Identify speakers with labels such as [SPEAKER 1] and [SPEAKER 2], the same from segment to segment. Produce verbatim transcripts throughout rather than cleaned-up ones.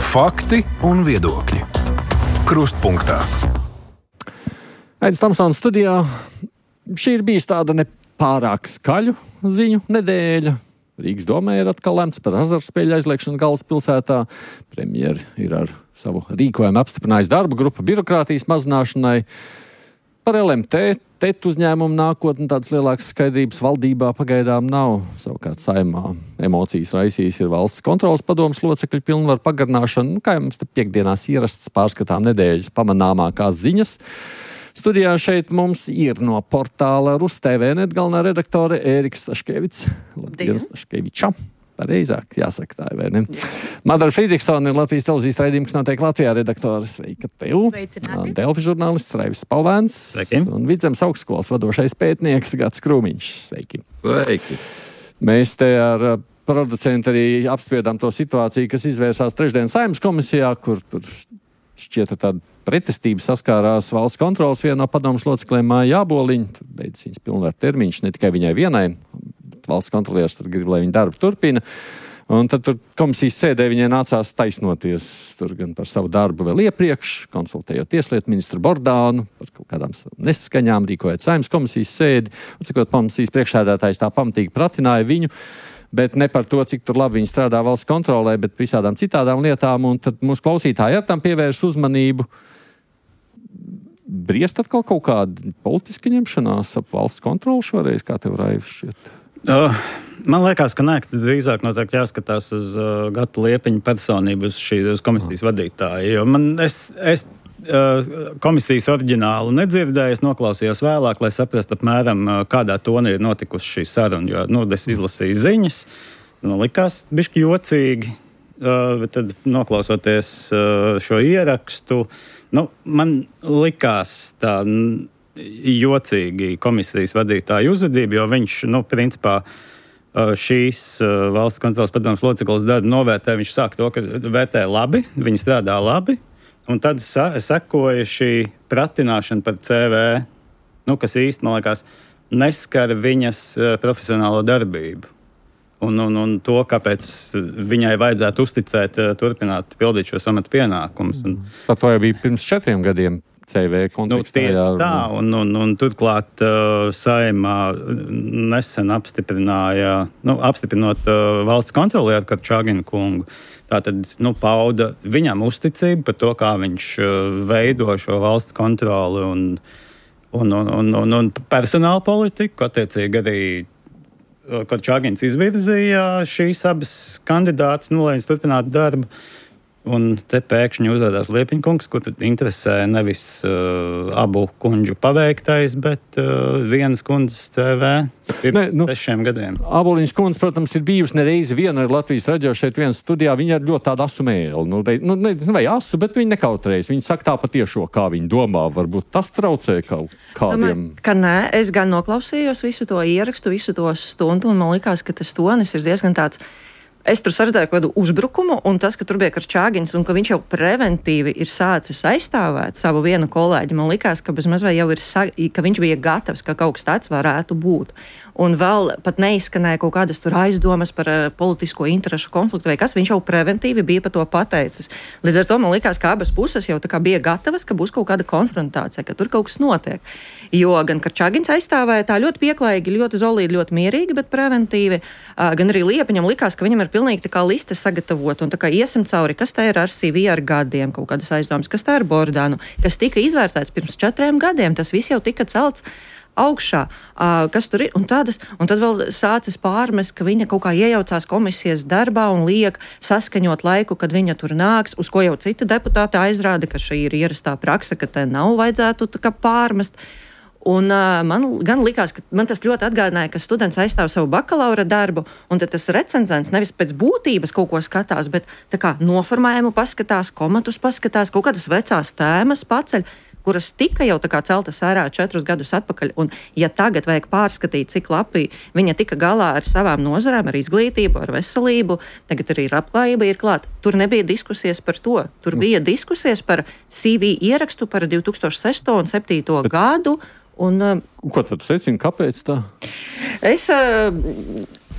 [SPEAKER 1] Fakti un viedokļi. Krustpunktā.
[SPEAKER 2] Aidis Tamsons studijā. Šī ir bijis tāda nepārāk skaļu ziņu nedēļa. Rīgas domē ir atkal lemts par azartspēļu aizliekšanu galvaspilsētā. Premjeri ir ar savu rīkojumu apstiprinājis darba grupu birokrātijas mazināšanai. Par L M T, T E T uzņēmumu nākotni tādas lielākas skaidrības valdībā pagaidām nav. Savukārt Saeimā emocijas raisījis ir valsts kontrolas padomes locekļu pilnvaru pagarināšana. Nu, kā jau mums te piekdienās ierasts pārskatām nedēļas pamanāmākās ziņas. Studijā šeit mums ir no portāla Rus T V net galvenā redaktore Ērika Staškevics. Labdien, Staškeviča. Pareizāk jāsaka tā, vai ne? Madara Frīdriksone ir Latvijas televīzijas raidījums, kas notiek Latvijā redaktori. Sveika tev!
[SPEAKER 3] Sveicināti!
[SPEAKER 2] Delfi žurnālists Raivis Spalvēns.
[SPEAKER 4] Sveiki!
[SPEAKER 2] Un Vidzemes augstskolas vadošais pētnieks Gats Krūmiņš. Sveiki!
[SPEAKER 4] Sveiki!
[SPEAKER 2] Mēs te ar producentu arī apspriedām to situāciju, kas izvērsās trešdien Saeimas komisijā, kur tur šķieta tāda pretestība saskārās valsts kontrolas vienā no padomas locekļiem Māja Jāboliņa. Tur beidzas viņas pilnvaru termiņš ne tikai viņai vienai. Valsts kontrolieris tur grib, lai viņa darbu turpina. Un tad tur komisijas sēdē viņai nācās taisnoties tur gan par savu darbu vēl iepriekš, konsultējot tieslietu ministru Bordānu par kaut kādām nesaskaņām, rīkojot Saeimas komisijas sēdi. Un cikot komisijas priekšsēdētājs tā pamatīgi pratināja viņu, bet ne par to, cik tur labi viņi strādā valsts kontrolē, bet visādām citādām lietām. Un tad mūsu klausītāji ar tam pievērš uzmanību. Briest atkal kaut kāda politiska ņemšanās ap valsts kontroli šoreiz, kā tev Raivis šķiet?
[SPEAKER 4] Uh, man liekas, ka nē, ka drīzāk noteikti jāskatās uz uh, Gata Liepiņa personību, uz šīs komisijas vadītāju. Jo man, es, es uh, komisijas oriģinālu nedzirdēju, es noklausījos vēlāk, lai saprastu apmēram, uh, kādā tonī ir notikusi šī saruna. Jo, nu, es izlasīju ziņas, nu, likās bišķi jocīgi, uh, bet tad noklausoties uh, šo ierakstu, nu, man likās tā jocīgi komisijas vadītāja uzvedība, jo viņš, nu, principā, šīs valsts kontrolas padomes locekles darbu novērtē. Viņš sāk to, ka vērtē labi, viņi strādā labi, un tad sekoja šī pratināšana par C V, nu, kas īsti, man liekas, neskara viņas profesionālo darbību. Un, un, un to, kāpēc viņai vajadzētu uzticēt, turpināt pildīt šos amata pienākumus. Un,
[SPEAKER 2] Tad to jau bija pirms četriem gadiem. C V kontekstā.
[SPEAKER 4] Nu, tā, un, un, un turklāt uh, Saeimā nesen apstiprināja, nu, apstiprinot uh, valsts kontrolieru Karčāgina kungu, tātad, nu, pauda viņam uzticību par to, kā viņš uh, veido šo valsts kontroli un, un, un, un, un, un personāla politiku, attiecīgi arī uh, Karčāgins izvirzīja šīs abas kandidātas, nu, lai viņas turpinātu darbu. Un te pēkšņi uzrādās Liepiņa kungs, kur interesē nevis uh, abu kundžu paveiktais, bet uh, vienas kundzes C V pirms nu, sešiem gadiem.
[SPEAKER 2] Āboliņas kundze, protams, ir bijusi nereizi viena ar Latvijas raidījā šeit vienas studijā. Viņa ir ļoti tāda asu mēli. Nu, nu, ne, vai asu, bet viņa nekautrējas. Viņa saka tā patiešo, kā viņa domā. Varbūt tas traucē kaut kādiem.
[SPEAKER 3] Domāju, ka nē, es gan noklausījos visu to ierakstu, visu to stundu, un man likās, ka tas tonis ir diezgan tāds. Es tur saredzēju kādu uzbrukumu, un tas, ka tur bija Karčāgins un ka viņš jau preventīvi ir sācis aizstāvēt savu vienu kolēģi, man likās, ka bezmaz vai jau ir, ka viņš bija gatavs, ka kaut kas tāds varētu būt. Un vēl pat neizskanēja kaut kādas tur aizdomas par uh, politisko interešu konfliktu vai kas, viņš jau preventīvi bija par to pateicis. Līdz ar to man likās, ka abas puses jau tā kā bija gatavas, ka būs kaut kāda konfrontācija, ka tur kaut kas notiek. Jo gan Karčāgins aizstāvēja tā ļoti pieklājīgi, ļoti zolīdi, ļoti mierīgi, bet preventīvi, uh, gan arī Liepiņam likās, ka viņam ir pilnīgi tā kā liste sagatavot un tā kā iesim cauri, kas tā ir ar C V ar gadiem, kaut kādas aizdomas, kas tā ir Bordānu, kas tika izvērtēts pirms četriem gadiem, tas viss jau tika celts augšā, uh, kas tur ir, un, tādas, un tad vēl sācis pārmest, ka viņa kaut kā iejaucās komisijas darbā un liek saskaņot laiku, kad viņa tur nāks, uz ko jau citi deputāti aizrāda, ka šī ir ierastā praksa, ka te nav vajadzētu tā kā pārmest. Un uh, man gan likās, ka man tas ļoti atgādināja, ka students aizstāv savu bakalaura darbu, un tad tas recenzents nevis pēc būtības kaut ko skatās, bet tā kā noformējumu paskatās, komatus paskatās, kaut kādas vecās tēmas paceļ, kuras tika jau tā kā celtas ārā četrus gadus atpakaļ, un ja tagad vajag pārskatīt, cik labi viņa tika galā ar savām nozarēm, ar izglītību, ar veselību, tagad arī ir apklājība ir klāt. Tur nebija diskusijas par to. Tur bija diskusijas par C V ierakstu par divi tūkstoši sesto un septīto gadu. Un,
[SPEAKER 2] Ko tad secini, kāpēc tā?
[SPEAKER 3] Es...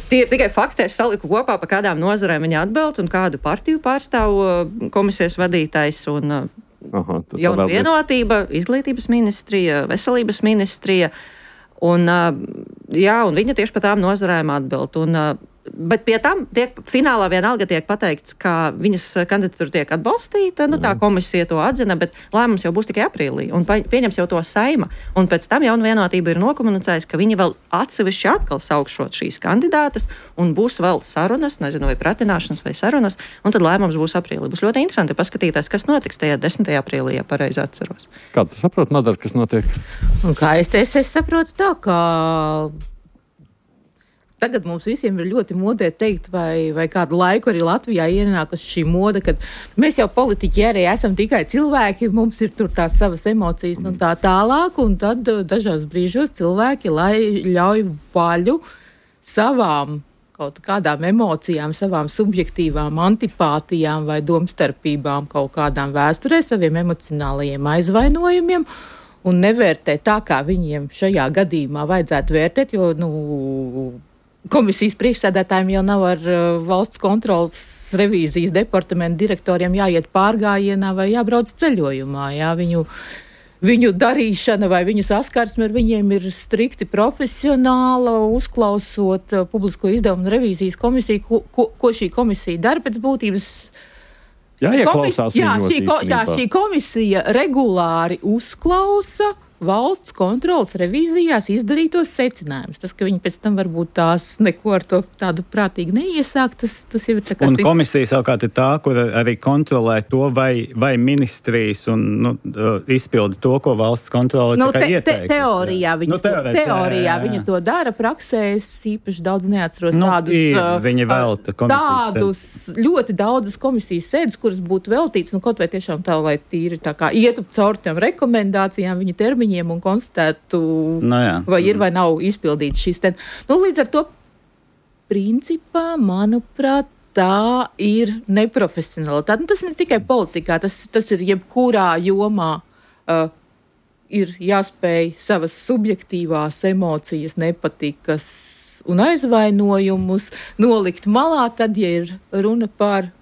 [SPEAKER 3] tie ir tikai fakti, es saliku kopā, pa kādām nozarēm viņa atbild un kādu partiju pārstāv komisijas vadītājs un Aha, jauna vienotība, izglītības ministrija, veselības ministrija. Un, jā, un viņa tieši par tām nozarēm atbild. Un, bet pie tam tiek, finālā vienalga tiek pateikts, ka viņas kandidatūra tiek atbalstīta, nu tā komisija to atzina, bet lēmums jau būs tikai aprīlī, un pieņems jau to Saima. Un pēc tam jauna vienotība ir nokomunicējusi, ka viņi vēl atsevišķi atkal saukšot šīs kandidātas, un būs vēl sarunas, nezinu, vai pratināšanas vai sarunas, un tad lēmums būs aprīlī. Būs ļoti interesanti paskatīties, kas notiks tajā desmitajā aprīlī, ja pareizi atceros.
[SPEAKER 2] Kā tu saproti, Madara, kas notiek?
[SPEAKER 5] Un kā es te es, es saprotu tā, ka tagad mums visiem ir ļoti modē teikt, vai, vai kādu laiku arī Latvijā ienākas šī moda, kad mēs jau politiķi arī esam tikai cilvēki, mums ir tur tās savas emocijas un tā tālāk, un tad dažās brīžos cilvēki, lai ļauj vaļu savām kaut kādām emocijām, savām subjektīvām antipātijām vai domstarpībām, kaut kādām vēsturē, saviem emocionālajiem aizvainojumiem, un nevērtē tā, kā viņiem šajā gadījumā vajadzētu vērtēt, jo, nu, komisijas priekšsēdētājiem jau nav ar uh, valsts kontrolas revīzijas departamentu direktoriem jāiet pārgājienā vai jābrauc ceļojumā. Jā, viņu, viņu darīšana vai viņu saskarsme ar viņiem ir strikti profesionāla, uzklausot uh, publisko izdevumu revīzijas komisiju, ko, ko, ko šī komisija dara pēc būtības.
[SPEAKER 2] Jā, ieklausās
[SPEAKER 5] jā,
[SPEAKER 2] viņos
[SPEAKER 5] šī, ko, jā, šī komisija regulāri uzklausa valsts kontrolas revīzijās izdarītos secinājumus. Tas, ka viņi pēc tam varbūt tās neko ar to tādu prātīgi neiesāk, tas, tas jau ir tā kā...
[SPEAKER 4] Un komisija savukārt ir tā, kur arī kontrolē to, vai, vai ministrijas un nu, izpilda to, ko valsts kontrolē
[SPEAKER 5] nu,
[SPEAKER 4] tikai
[SPEAKER 5] te,
[SPEAKER 4] ieteikusi.
[SPEAKER 5] Te, teorijā viņa, nu, teorijā, to, teorijā jā, jā. viņa to dara, praksē es īpaši daudz neatceros
[SPEAKER 4] nu,
[SPEAKER 5] tādus...
[SPEAKER 4] Ir, viņa velta komisijas
[SPEAKER 5] tādus sēdes. Ļoti daudzas komisijas sēdes, kuras būtu veltītas, nu kaut vai tiešām tā, lai tīri tā kā ietu caur tām rekomendācijām, viņa termiņi un konstatētu,
[SPEAKER 4] no jā.
[SPEAKER 5] vai ir vai nav izpildīts šis ten. Nu, līdz ar to, principā, manuprāt, tā ir neprofesionalitāte. Nu, tas ne tikai politikā, tas, tas ir jebkurā jomā. Uh, ir jāspēj savas subjektīvās emocijas, nepatikas un aizvainojumus nolikt malā, tad, ja ir runa par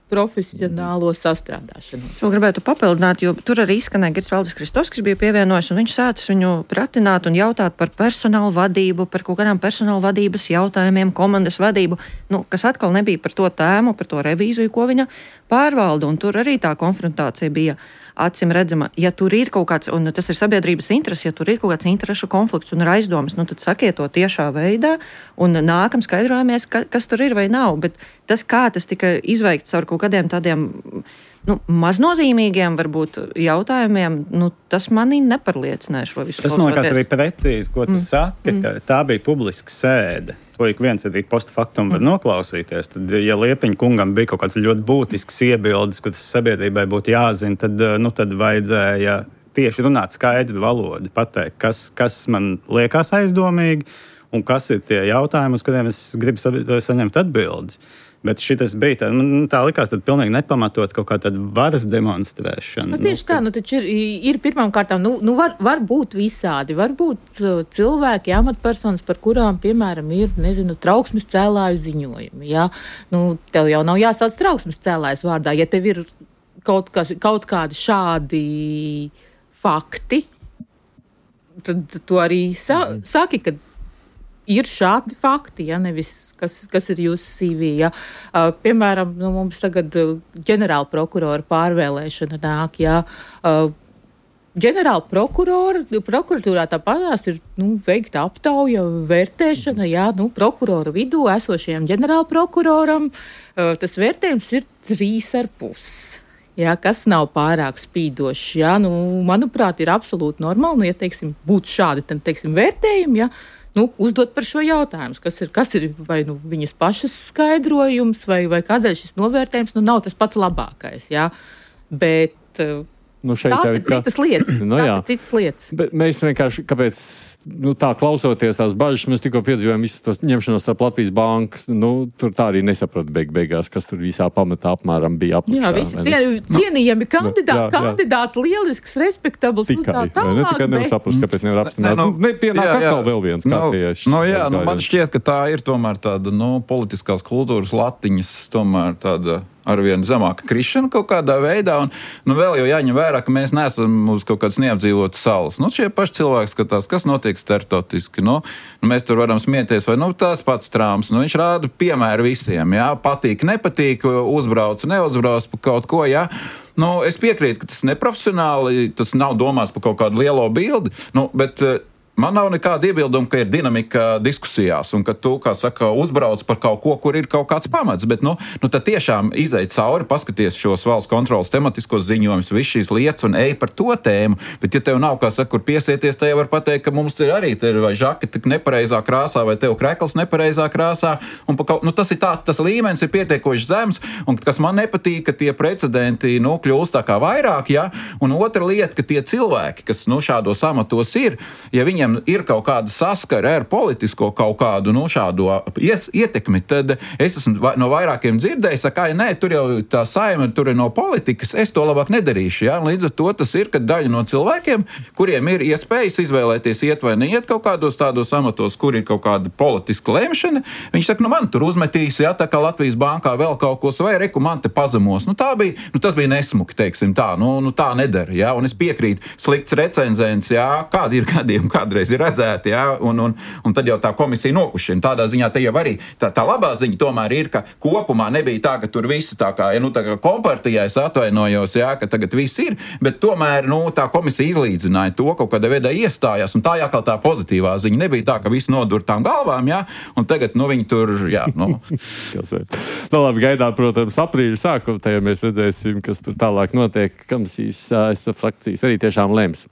[SPEAKER 5] profesionālo sastrādāšanu.
[SPEAKER 3] Es vēl gribētu papildināt, jo tur arī izskanēja Girts Valdis Kristovs, kas bija pievienojis, un viņš sācis viņu pratināt un jautāt par personālu vadību, par kaut kādām personālu vadības jautājumiem, komandas vadību, nu, kas atkal nebija par to tēmu, par to revīziju, ko viņa pārvalda, un tur arī tā konfrontācija bija acim redzama. Ja tur ir kaut kāds, un tas ir sabiedrības interesi, ja tur ir kaut kāds interešu konflikts un ir aizdomas, nu tad sakiet to tiešā veidā un nākam skaidrojamies, ka, kas tur ir vai nav. Bet tas, kā tas tika izveikts ar kaut kādiem tādiem nu, maznozīmīgiem varbūt jautājumiem, nu, tas mani nepārliecināja šo visu.
[SPEAKER 4] Tas man liekas arī precīzi, ko tu mm. saki, mm. ka tā bija publiska sēde. To ik viens arī post faktum var mm. noklausīties. Tad, ja Liepiņa kungam bija kaut kāds ļoti būtisks iebildes, ko tas sabiedrībai būtu jāzina, tad, nu, tad vajadzēja tieši runāt skaidru valodu, pateikt, kas, kas man liekas aizdomīgi un kas ir tie jautājumi, uz kuriem es gribu saņemt atbildes. Bet šitas bija tā, nu, tā likās tad pilnīgi nepamatot kaut kā tāda varas demonstrēšana.
[SPEAKER 5] Nu, tieši nu, tā, nu taču ir, ir pirmām kārtām, nu, nu var, var būt visādi, var būt cilvēki, amatpersonas, par kurām, piemēram, ir, nezinu, trauksmes cēlāju ziņojumi, jā. Nu, tev jau nav jāsauc trauksmes cēlājas vārdā, ja tev ir kaut, kas, kaut kādi šādi fakti, tad tu arī sa, saki, ka ir šādi fakti, ja, nevis Kas, kas ir jūsu C V. Ja? Uh, piemēram, nu, mums tagad uh, ģenerāla prokurora pārvēlēšana nāk. Ja? Uh, ģenerāla prokurora, prokuratūrā tāpatās ir nu, veikta aptauja, vērtēšana. Ja? Nu, prokuroru vidū esošajam ģenerāla prokuroram uh, tas vērtējums ir trīs ar pus. Ja, kas nav pārāk spīdošs. Ja? Nu, manuprāt, ir absolūti normāli, nu, ja teiksim, būtu šādi tad, teiksim, vērtējumi, ja? Nu, uzdot par šo jautājumu, kas ir, kas ir vai nu, viņas pašas skaidrojums, vai, vai kādēļ šis novērtējums nu, nav tas pats labākais. Jā? Bet,
[SPEAKER 2] Nu, šeit
[SPEAKER 5] tās
[SPEAKER 2] jau
[SPEAKER 5] ir
[SPEAKER 2] ir kā-
[SPEAKER 5] citas lietas.
[SPEAKER 2] Nu,
[SPEAKER 5] Tās
[SPEAKER 2] jā.
[SPEAKER 5] ir citas lietas.
[SPEAKER 2] Bet mēs vienkārši, kāpēc, nu, tā klausoties tās bažas, mēs tikko piedzīvojam visu tos ņemšanos starp Latvijas bankas, nu, tur tā arī nesaprata beig beigās, kas tur visā pamatā apmēram bija apakšā.
[SPEAKER 5] Jā, visi
[SPEAKER 2] vai ne?
[SPEAKER 5] cien, cienījami kandidāti,
[SPEAKER 2] jā, jā.
[SPEAKER 5] kandidāts lielisks, respektabls un tā
[SPEAKER 2] Tikai, vai ne? Tikai nevar
[SPEAKER 5] tālāk.
[SPEAKER 2] saprast, kāpēc nevar apstiprināt.
[SPEAKER 6] Nē,
[SPEAKER 2] Nu,
[SPEAKER 6] nu,
[SPEAKER 2] nepienāk
[SPEAKER 6] jā, jā.
[SPEAKER 2] atkal vēl viens kārtējais.
[SPEAKER 6] Nu, nu, jā, nu, man
[SPEAKER 2] gājiens.
[SPEAKER 6] šķiet, ka tā ir tomēr tāda, nu, politiskās kultūras latiņas, tomēr tāda arvien zemāka krišana kaut kādā veidā, un, nu, vēl jau jāņem vērā, ka mēs neesam uz kaut kādas neapdzīvotas salas. Nu, šie paši cilvēki skatās, kas notiek starptautiski, nu, nu, mēs tur varam smieties, vai, nu, tās pats Trumps, nu, viņš rāda piemēru visiem, jā, patīk, nepatīk, uzbrauc, neuzbrauc pa kaut ko, jā. Nu, es piekrītu, ka tas neprofesionāli, tas nav domāts par kaut kādu lielo bildi, nu, bet man nav nekāda iebilduma, ka ir dinamika diskusijās un ka tu, kā saka, uzbrauc par kaut ko, kur ir kaut kāds pamats. Bet, nu, nu tad tiešām izej cauri, paskaties šos valsts kontrolas tematiskos ziņojumus, visu šīs lietas un ej par to tēmu. Bet, ja tev nav, kā saka, kur piesieties, tad jau var pateikt, ka mums ir arī te ir vai žaketi nepareizā krāsā, vai tev krekls nepareizā krāsā. Un kaut, nu, tas ir tā, tas līmenis ir pietiekoši zems, un kas man nepatīk, ka tie precedenti, nu, kļūst tā kā vairāk, ja? Un otra lieta, ka tie cilvēki, kas, nu, šādos amatos ir, ja viņiem ir kaut kāda saskara ar politisko kaut kādu nu, šādu ietekmi, tad es esmu no vairākiem dzirdējis, ka, nē, tur jau tā saima, tur ir no politikas, es to labāk nedarīšu. Ja? Līdz ar to tas ir, ka daļa no cilvēkiem, kuriem ir iespējas izvēlēties iet vai neiet kaut kādos tādos amatos, kur ir kaut kāda politiska lemšana, viņi saka, nu man tur uzmetīs, ja, tā kā Latvijas bankā vēl kaut ko, vai reku man te pazemos. Nu, tā bija, nu, tas bija nesmuki, teiksim tā, nu, nu tā nedara. Ja? Un es piekrītu, slikts recenzents, ja? Kādi ir gadiem, kādi ir redzēti, ja? un, un, un tad jau tā komisija nokušina. Tādā ziņā te jau arī tā, tā labā ziņa tomēr ir, ka kopumā nebija tā, ka tur visi tā kā, ja, nu, tā kā kompartijā es atvainojos, ja, ka tagad viss ir, bet tomēr nu, tā komisija izlīdzināja to, kaut kādā veidā iestājās, un tā jākal tā pozitīvā ziņa. Nebija tā, ka visi nodur tām galvām, ja, un tagad nu, viņi tur, jā, nu.
[SPEAKER 2] Nu, labi, gaidām, protams, aprīļa sākumu, tajā mēs redzēsim, kas tur tālāk notiek, kam šīs frakcijas arī tiešām lems.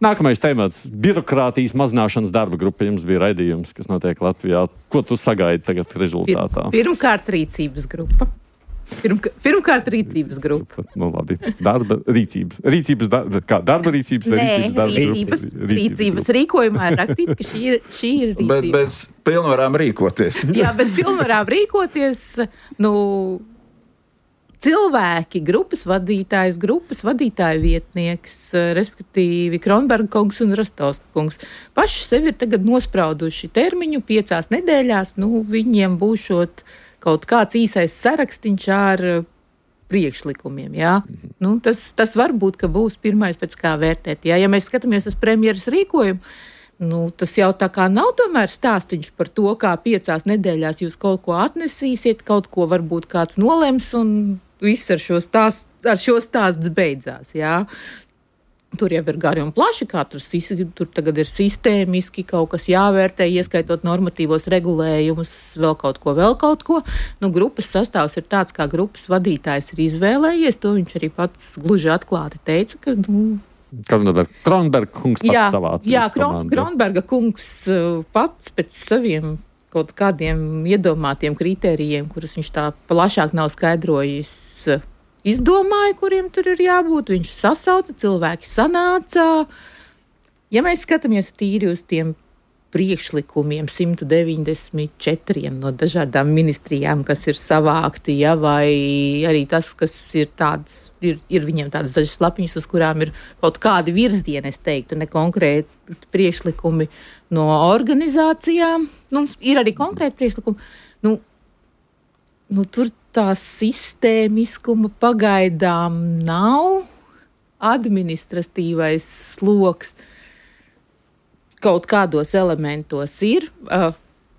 [SPEAKER 2] Nākamais temats - birokrātijas mazināšanas darba grupa. Jums bija raidījums, kas notiek Latvijā. Ko tu sagaidi tagad rezultātā?
[SPEAKER 5] Pirmkārt, rīcības grupa. Pirmk pirmkārt, rīcības grupa.
[SPEAKER 2] Nu, labi. Darba rīcības. Rīcības, darba, kā, darba rīcības vai
[SPEAKER 5] Nē,
[SPEAKER 2] rīcības darba
[SPEAKER 5] rīcības,
[SPEAKER 2] grupa?
[SPEAKER 5] rīcības rīkojumā ir rakstīts, ka šī ir, šī ir rīcība.
[SPEAKER 6] Bet bez pilnvarām rīkoties.
[SPEAKER 5] Jā, bez pilnvarām rīkoties, nu, cilvēki, grupas vadītājs, grupas vadītāja vietnieks, respektīvi Kronberga kungs un Rastovska kungs, paši sevi ir tagad nosprauduši termiņu piecās nedēļās, nu, viņiem būšot kaut kāds īsais sarakstīns ar priekšlikumiem, jā. Mm-hmm. Nu, tas, tas var būt, ka būs pirmais pēc kā vērtēt, jā. Ja mēs skatāmies uz premjeras rīkojumu, nu, tas jau tā kā nav tomēr stāstiņš par to, kā piecās nedēļās jūs kaut ko atnesīsiet, kaut ko varbūt kāds nolems un viss ar šo stāstu, ar šo stāsts beidzās, jā. Tur jau ir gari un plaši, kā tur, tur tagad ir sistēmiski kaut kas jāvērtē, ieskaitot normatīvos regulējumus, vēl kaut ko, vēl kaut ko. Nu, grupas sastāvs ir tāds, kā grupas vadītājs ir izvēlējies, to viņš arī pats gluži atklāti teica, ka, nu,
[SPEAKER 2] Kronberga, Kronberga kungs pats
[SPEAKER 5] jā,
[SPEAKER 2] savāca.
[SPEAKER 5] Jā, Kron, Kronberga kungs pats pēc saviem kaut kādiem iedomātiem kritērijiem, kurus viņš tā plašāk nav skaidrojis, izdomāja, kuriem tur ir jābūt. Viņš sasauca, cilvēki sanāca. Ja mēs skatāmies tīri uz tiem priekšlikumiem, simt deviņdesmit četriem no dažādām ministrijām, kas ir savākti, ja, vai arī tas, kas ir tāds, ir, ir viņiem tādas dažas lapiņas, uz kurām ir kaut kādi virzieni, es teiktu, ne konkrēti priekšlikumi no organizācijām. Nu, ir arī konkrēti priekšlikumi. Nu, nu, tur tā sistēmiskuma pagaidām nav, administratīvais sloks kaut kādos elementos ir, uh,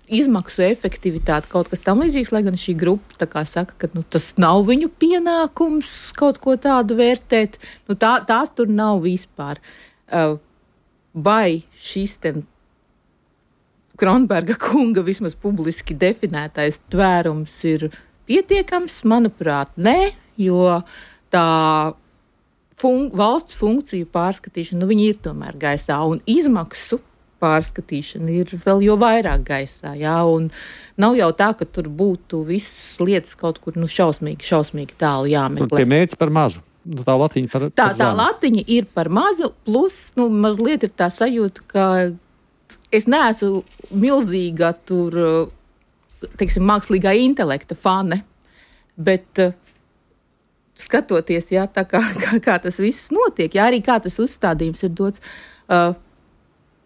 [SPEAKER 5] izmaksu efektivitāte, kaut kas tam līdzīgs, lai gan šī grupa tā kā saka, ka nu, tas nav viņu pienākums kaut ko tādu vērtēt, nu, tā, tās tur nav vispār. Uh, vai šis ten Kronberga kunga vismaz publiski definētais tvērums ir pietiekams, manuprāt, nē, jo tā fun- valsts funkciju pārskatīšana, nu, viņi ir tomēr gaisā, un izmaksu pārskatīšana ir vēl jo vairāk gaisā, jā, un nav jau tā, ka tur būtu visas lietas kaut kur, nu, šausmīgi, šausmīgi tālu jāmeklē.
[SPEAKER 2] Tie mērķi par mazu. nu, tā latiņa par,
[SPEAKER 5] tā,
[SPEAKER 2] par
[SPEAKER 5] tā latiņa ir par mazu, plus nu, mazliet ir tā sajūta, ka es neesmu milzīga tur, teiksim, mākslīgā intelekta fane, bet uh, skatoties, jā, tā kā, kā, kā tas viss notiek, jā, arī kā tas uzstādījums ir dots, uh,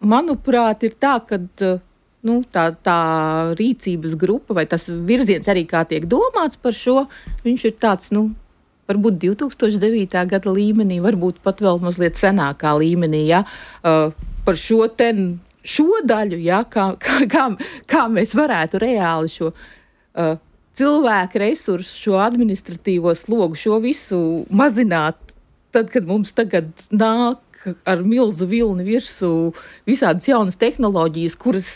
[SPEAKER 5] manuprāt, ir tā, ka uh, nu, tā, tā rīcības grupa vai tas virziens arī kā tiek domāts par šo, viņš ir tāds, nu, varbūt divi tūkstoši devītā gada līmenī, varbūt pat vēl mazliet senākā līmenī, jā, uh, par šo ten, šo daļu, jā, kā, kā, kā, kā mēs varētu reāli šo uh, cilvēku resursu, šo administratīvo slogu, šo visu mazināt, tad, kad mums tagad nāk ar milzu vilni virsū visādas jaunas tehnoloģijas, kuras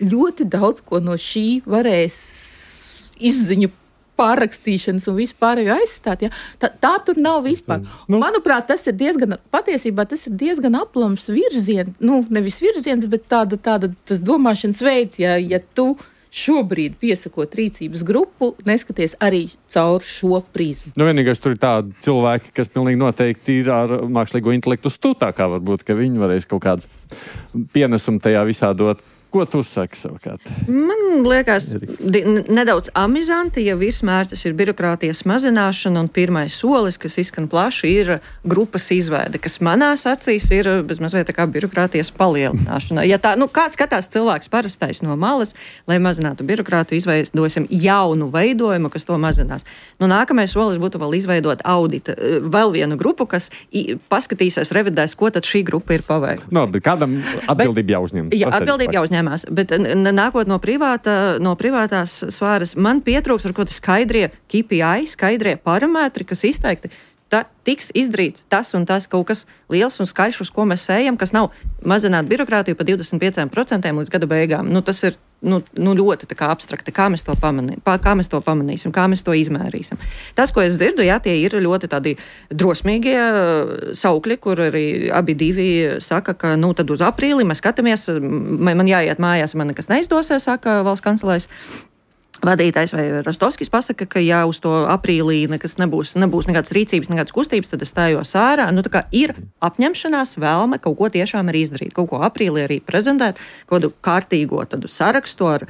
[SPEAKER 5] ļoti daudz ko no šī varēs izziņu pārrakstīšanas un vispārējo aizstāt. Ja? Tā, tā tur nav vispār. Nu. Manuprāt, tas ir diezgan, patiesībā tas ir diezgan aplams virziens, nu, nevis virziens, bet tāda, tāda tas domāšanas veids, ja, ja tu šobrīd piesakot rīcības grupu, neskaties arī caur šo prizmu.
[SPEAKER 2] Nu, vienīgais tur ir tādi cilvēki, kas pilnīgi noteikti ir ar mākslīgo intelektu stūtākā, varbūt, ka viņi varēs kaut kāds pienesumu tajā visā dot. Ko tu saki savukārt?
[SPEAKER 3] Man liekas, di, nedaudz amizanti, ja virsmērķis ir birokrātijas mazināšana un pirmais solis, kas izskan plaši, ir grupas izveide, kas manās acīs ir bezmazliet tā kā birokrātijas palielināšana. Ja tā, nu, kāds skatās cilvēks parastais no malas, lai mazinātu birokrātu, izveidosim jaunu veidojumu, kas to mazinās. Nu, nākamais solis būtu vēl izveidot audita, vēl vienu grupu, kas paskatīsies, revidēs, ko tad šī grupa ir paveikusi.
[SPEAKER 2] No, bet kādam atbildība jāuzņem?
[SPEAKER 3] Jā, atbildība jāuzņem. Bet nākot no, privāta, no privātās sfēras, man pietrūks ar ko tas skaidrie K P I, skaidrie parametri, kas izteikti, ta, tiks izdarīts tas un tas kaut kas liels un skaļš, uz ko mēs ejam, kas nav mazināt birokrātiju pa divdesmit pieciem procentiem līdz gada beigām. Nu, tas ir nu, nu, ļoti tā kā abstrakti, kā mēs to pamanī, kā mēs to pamanīsim, kā mēs to izmērīsim. Tas, ko es dzirdu, jā, tie ir ļoti tādi drosmīgie saukļi, kur arī abi divi saka, ka nu, tad uz aprīli mēs skatāmies, man jāiet mājās, man nekas neizdosies, saka valsts kancelēs vadītājs vai Rostovskis pasaka, ka ja uz to aprīlī nekas nebūs, nebūs nekādas rīcības, nekādas kustības, tad es stājos ārā. Nu, tā kā ir apņemšanās vēlme kaut ko tiešām arī izdarīt, kaut ko aprīlī arī prezentēt, kaut kādu kārtīgo tādu sarakstu ar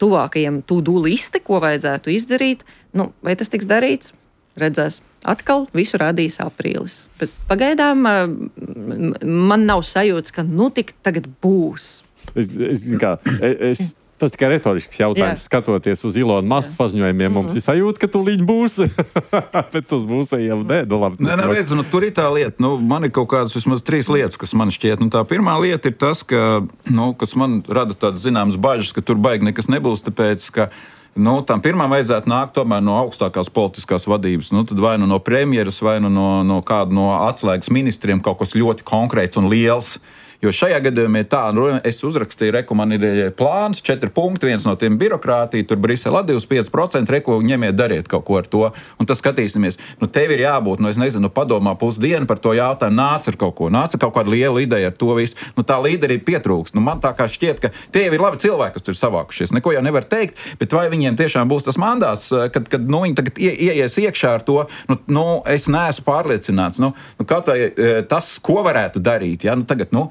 [SPEAKER 3] tuvākajiem to-do listi, ko vajadzētu izdarīt. Nu, vai tas tiks darīts? Redzēs. Atkal visu rādīs aprīlis. Bet pagaidām man nav sajūtas, ka nu tik tagad būs.
[SPEAKER 2] Es, es, kā, es, tas tikai retorisks jautājums. Jā. Skatoties uz Ilona Maska paziņojumiem, mums ir sajūta, ka tūlīt būs. Bet uz būsējiem nē. Nu, labi.
[SPEAKER 6] Nē, nē, redz, nu, tur ir tā lieta. Nu, man ir kaut kādas vismaz trīs lietas, kas man šķiet. Nu, tā pirmā lieta ir tas, ka, nu, kas man rada tādas zināmas bažas, ka tur baigi nekas nebūs, tāpēc, ka nu, tam pirmām vajadzētu nākt tomēr no augstākās politiskās vadības. Nu, tad vai nu no premjeras, vai nu no, no kāda no atslēgas ministriem kaut kas ļoti konkrēts un liels. Jo šajā gadījumā ir tā, nu, es uzrakstīju, reku, man ir plāns, četri punkti, viens no tiem birokrātija, tur Brisele divdesmit pieci procenti, reku, ņemiet, dariet kaut ko ar to, un tas skatīsimies. Nu, tev ir jābūt, nu, es nezinu, padomā pusdienu par to jautājumu, nāc ar kaut ko, nāc ar kaut kādu lielu ideju ar to visu. Nu, tā līderība pietrūkst. Nu, man tā kā šķiet, ka tie ir labi cilvēki, kas tur ir savākušies. Neko jau nevar teikt, bet vai viņiem tiešām būs tas mandāts, kad, kad nu, viņi tagad ie, ieies iekšā ar to, nu, nu es neesmu pārliecināts. Nu, nu, kaut vai tas, ko varētu darīt, ja, nu, tagad, nu,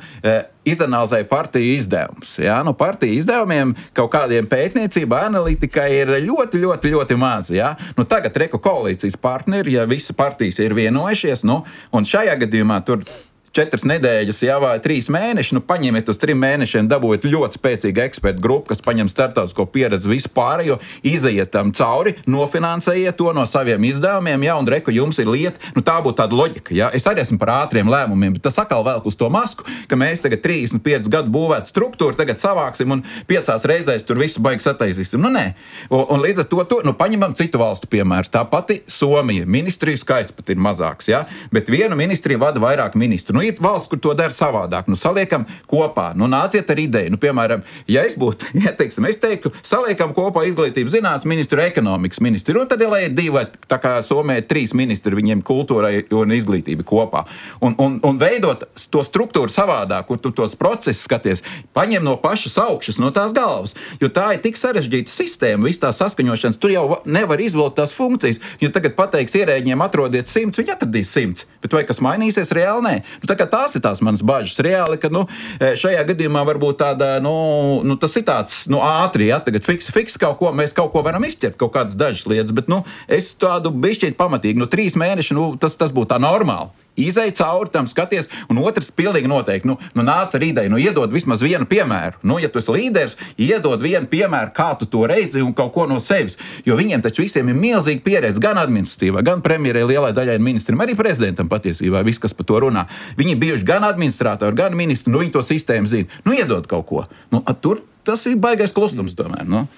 [SPEAKER 6] izanalizēja partiju izdevumus. Ja? Nu, partiju izdevumiem kaut kādiem pētniecība, analītika ir ļoti, ļoti, ļoti maz. Ja? Nu, tagad reku koalīcijas partneri, ja visi partijas ir vienojušies, nu, un šajā gadījumā tur četras nedēļas, jā, vai trīs mēneši, nu paņemiet uz trim mēnešiem, dabūjiet ļoti spēcīgu ekspertu grupu, kas paņem starptautisko pieredzi vispār, jo izejiet tam cauri, nofinansējiet to no saviem izdevumiem, jā, un reku jums ir lieta, nu tā būtu tāda loģika, jā. Es arī esmu par ātriem lēmumiem, bet tas atkal velk uz to masku, ka mēs tagad trīsdesmit piecus gadu būvētu struktūru, tagad savāksim un piecās reizēs tur visu baigi sataisīsim. Nu nē. Un, un līdz ar to, to nu paņemam citu valstu piemērs. Tā pati Somija, ministriju skaits pat ir mazāks, jā, bet vienu ministriju vada vairāk ministru. Nu, ir valsts, kur to dara savādāk. Nu, saliekam kopā, nu, nāciet ar ideju. Nu, piemēram, ja es būtu, ja teiksim, es teiktu, saliekam kopā izglītības zinātnes ministru, ekonomikas ministru, un tad ir, lai ir divi, tā kā Somijā trīs ministri, viņiem kultūrai un izglītība kopā. Un, un, un veidot to struktūru savādāk, kur tu tos procesus skaties, paņem no pašas augšas, no tās galvas, jo tā ir tik sarežģīta sistēma, viss tā saskaņošanas, tur jau nevar izvilkt tās funkcijas, jo tagad pateiks ierēģiem atrodiet simts, viņi atradīs simts, bet vai kas mainīsies, reāli nē. Nu, tā kā tās ir tās manas bažas reāli, ka, nu, šajā gadījumā varbūt tāda, nu, nu tas ir tāds, nu, ātri, ja, tagad fiks, fiks kaut ko, mēs kaut ko varam izķert, kaut kādas dažas lietas, bet, nu, es tādu bišķīt pamatīgi, nu, trīs mēneši, nu, tas, tas būtu tā normāli. Izej cauri tam, skaties, un otrs pilnīgi noteikti, nu, nu nāc ar ideju, nu iedod vismaz vienu piemēru. Nu, ja tu esi līderis, iedod vienu piemēru, kā tu to redzi un kaut ko no sevis. Jo viņiem taču visiem ir milzīga pieredze gan administratīvā, gan premjerai lielai daļai ministriem, arī prezidentam patiesībā, viss, kas par to runā. Viņi bijuši gan administratori, gan ministri, nu viņi to sistēmu zina. Nu iedod kaut ko. Nu, tur tas ir baigais klusums tomēr, nu.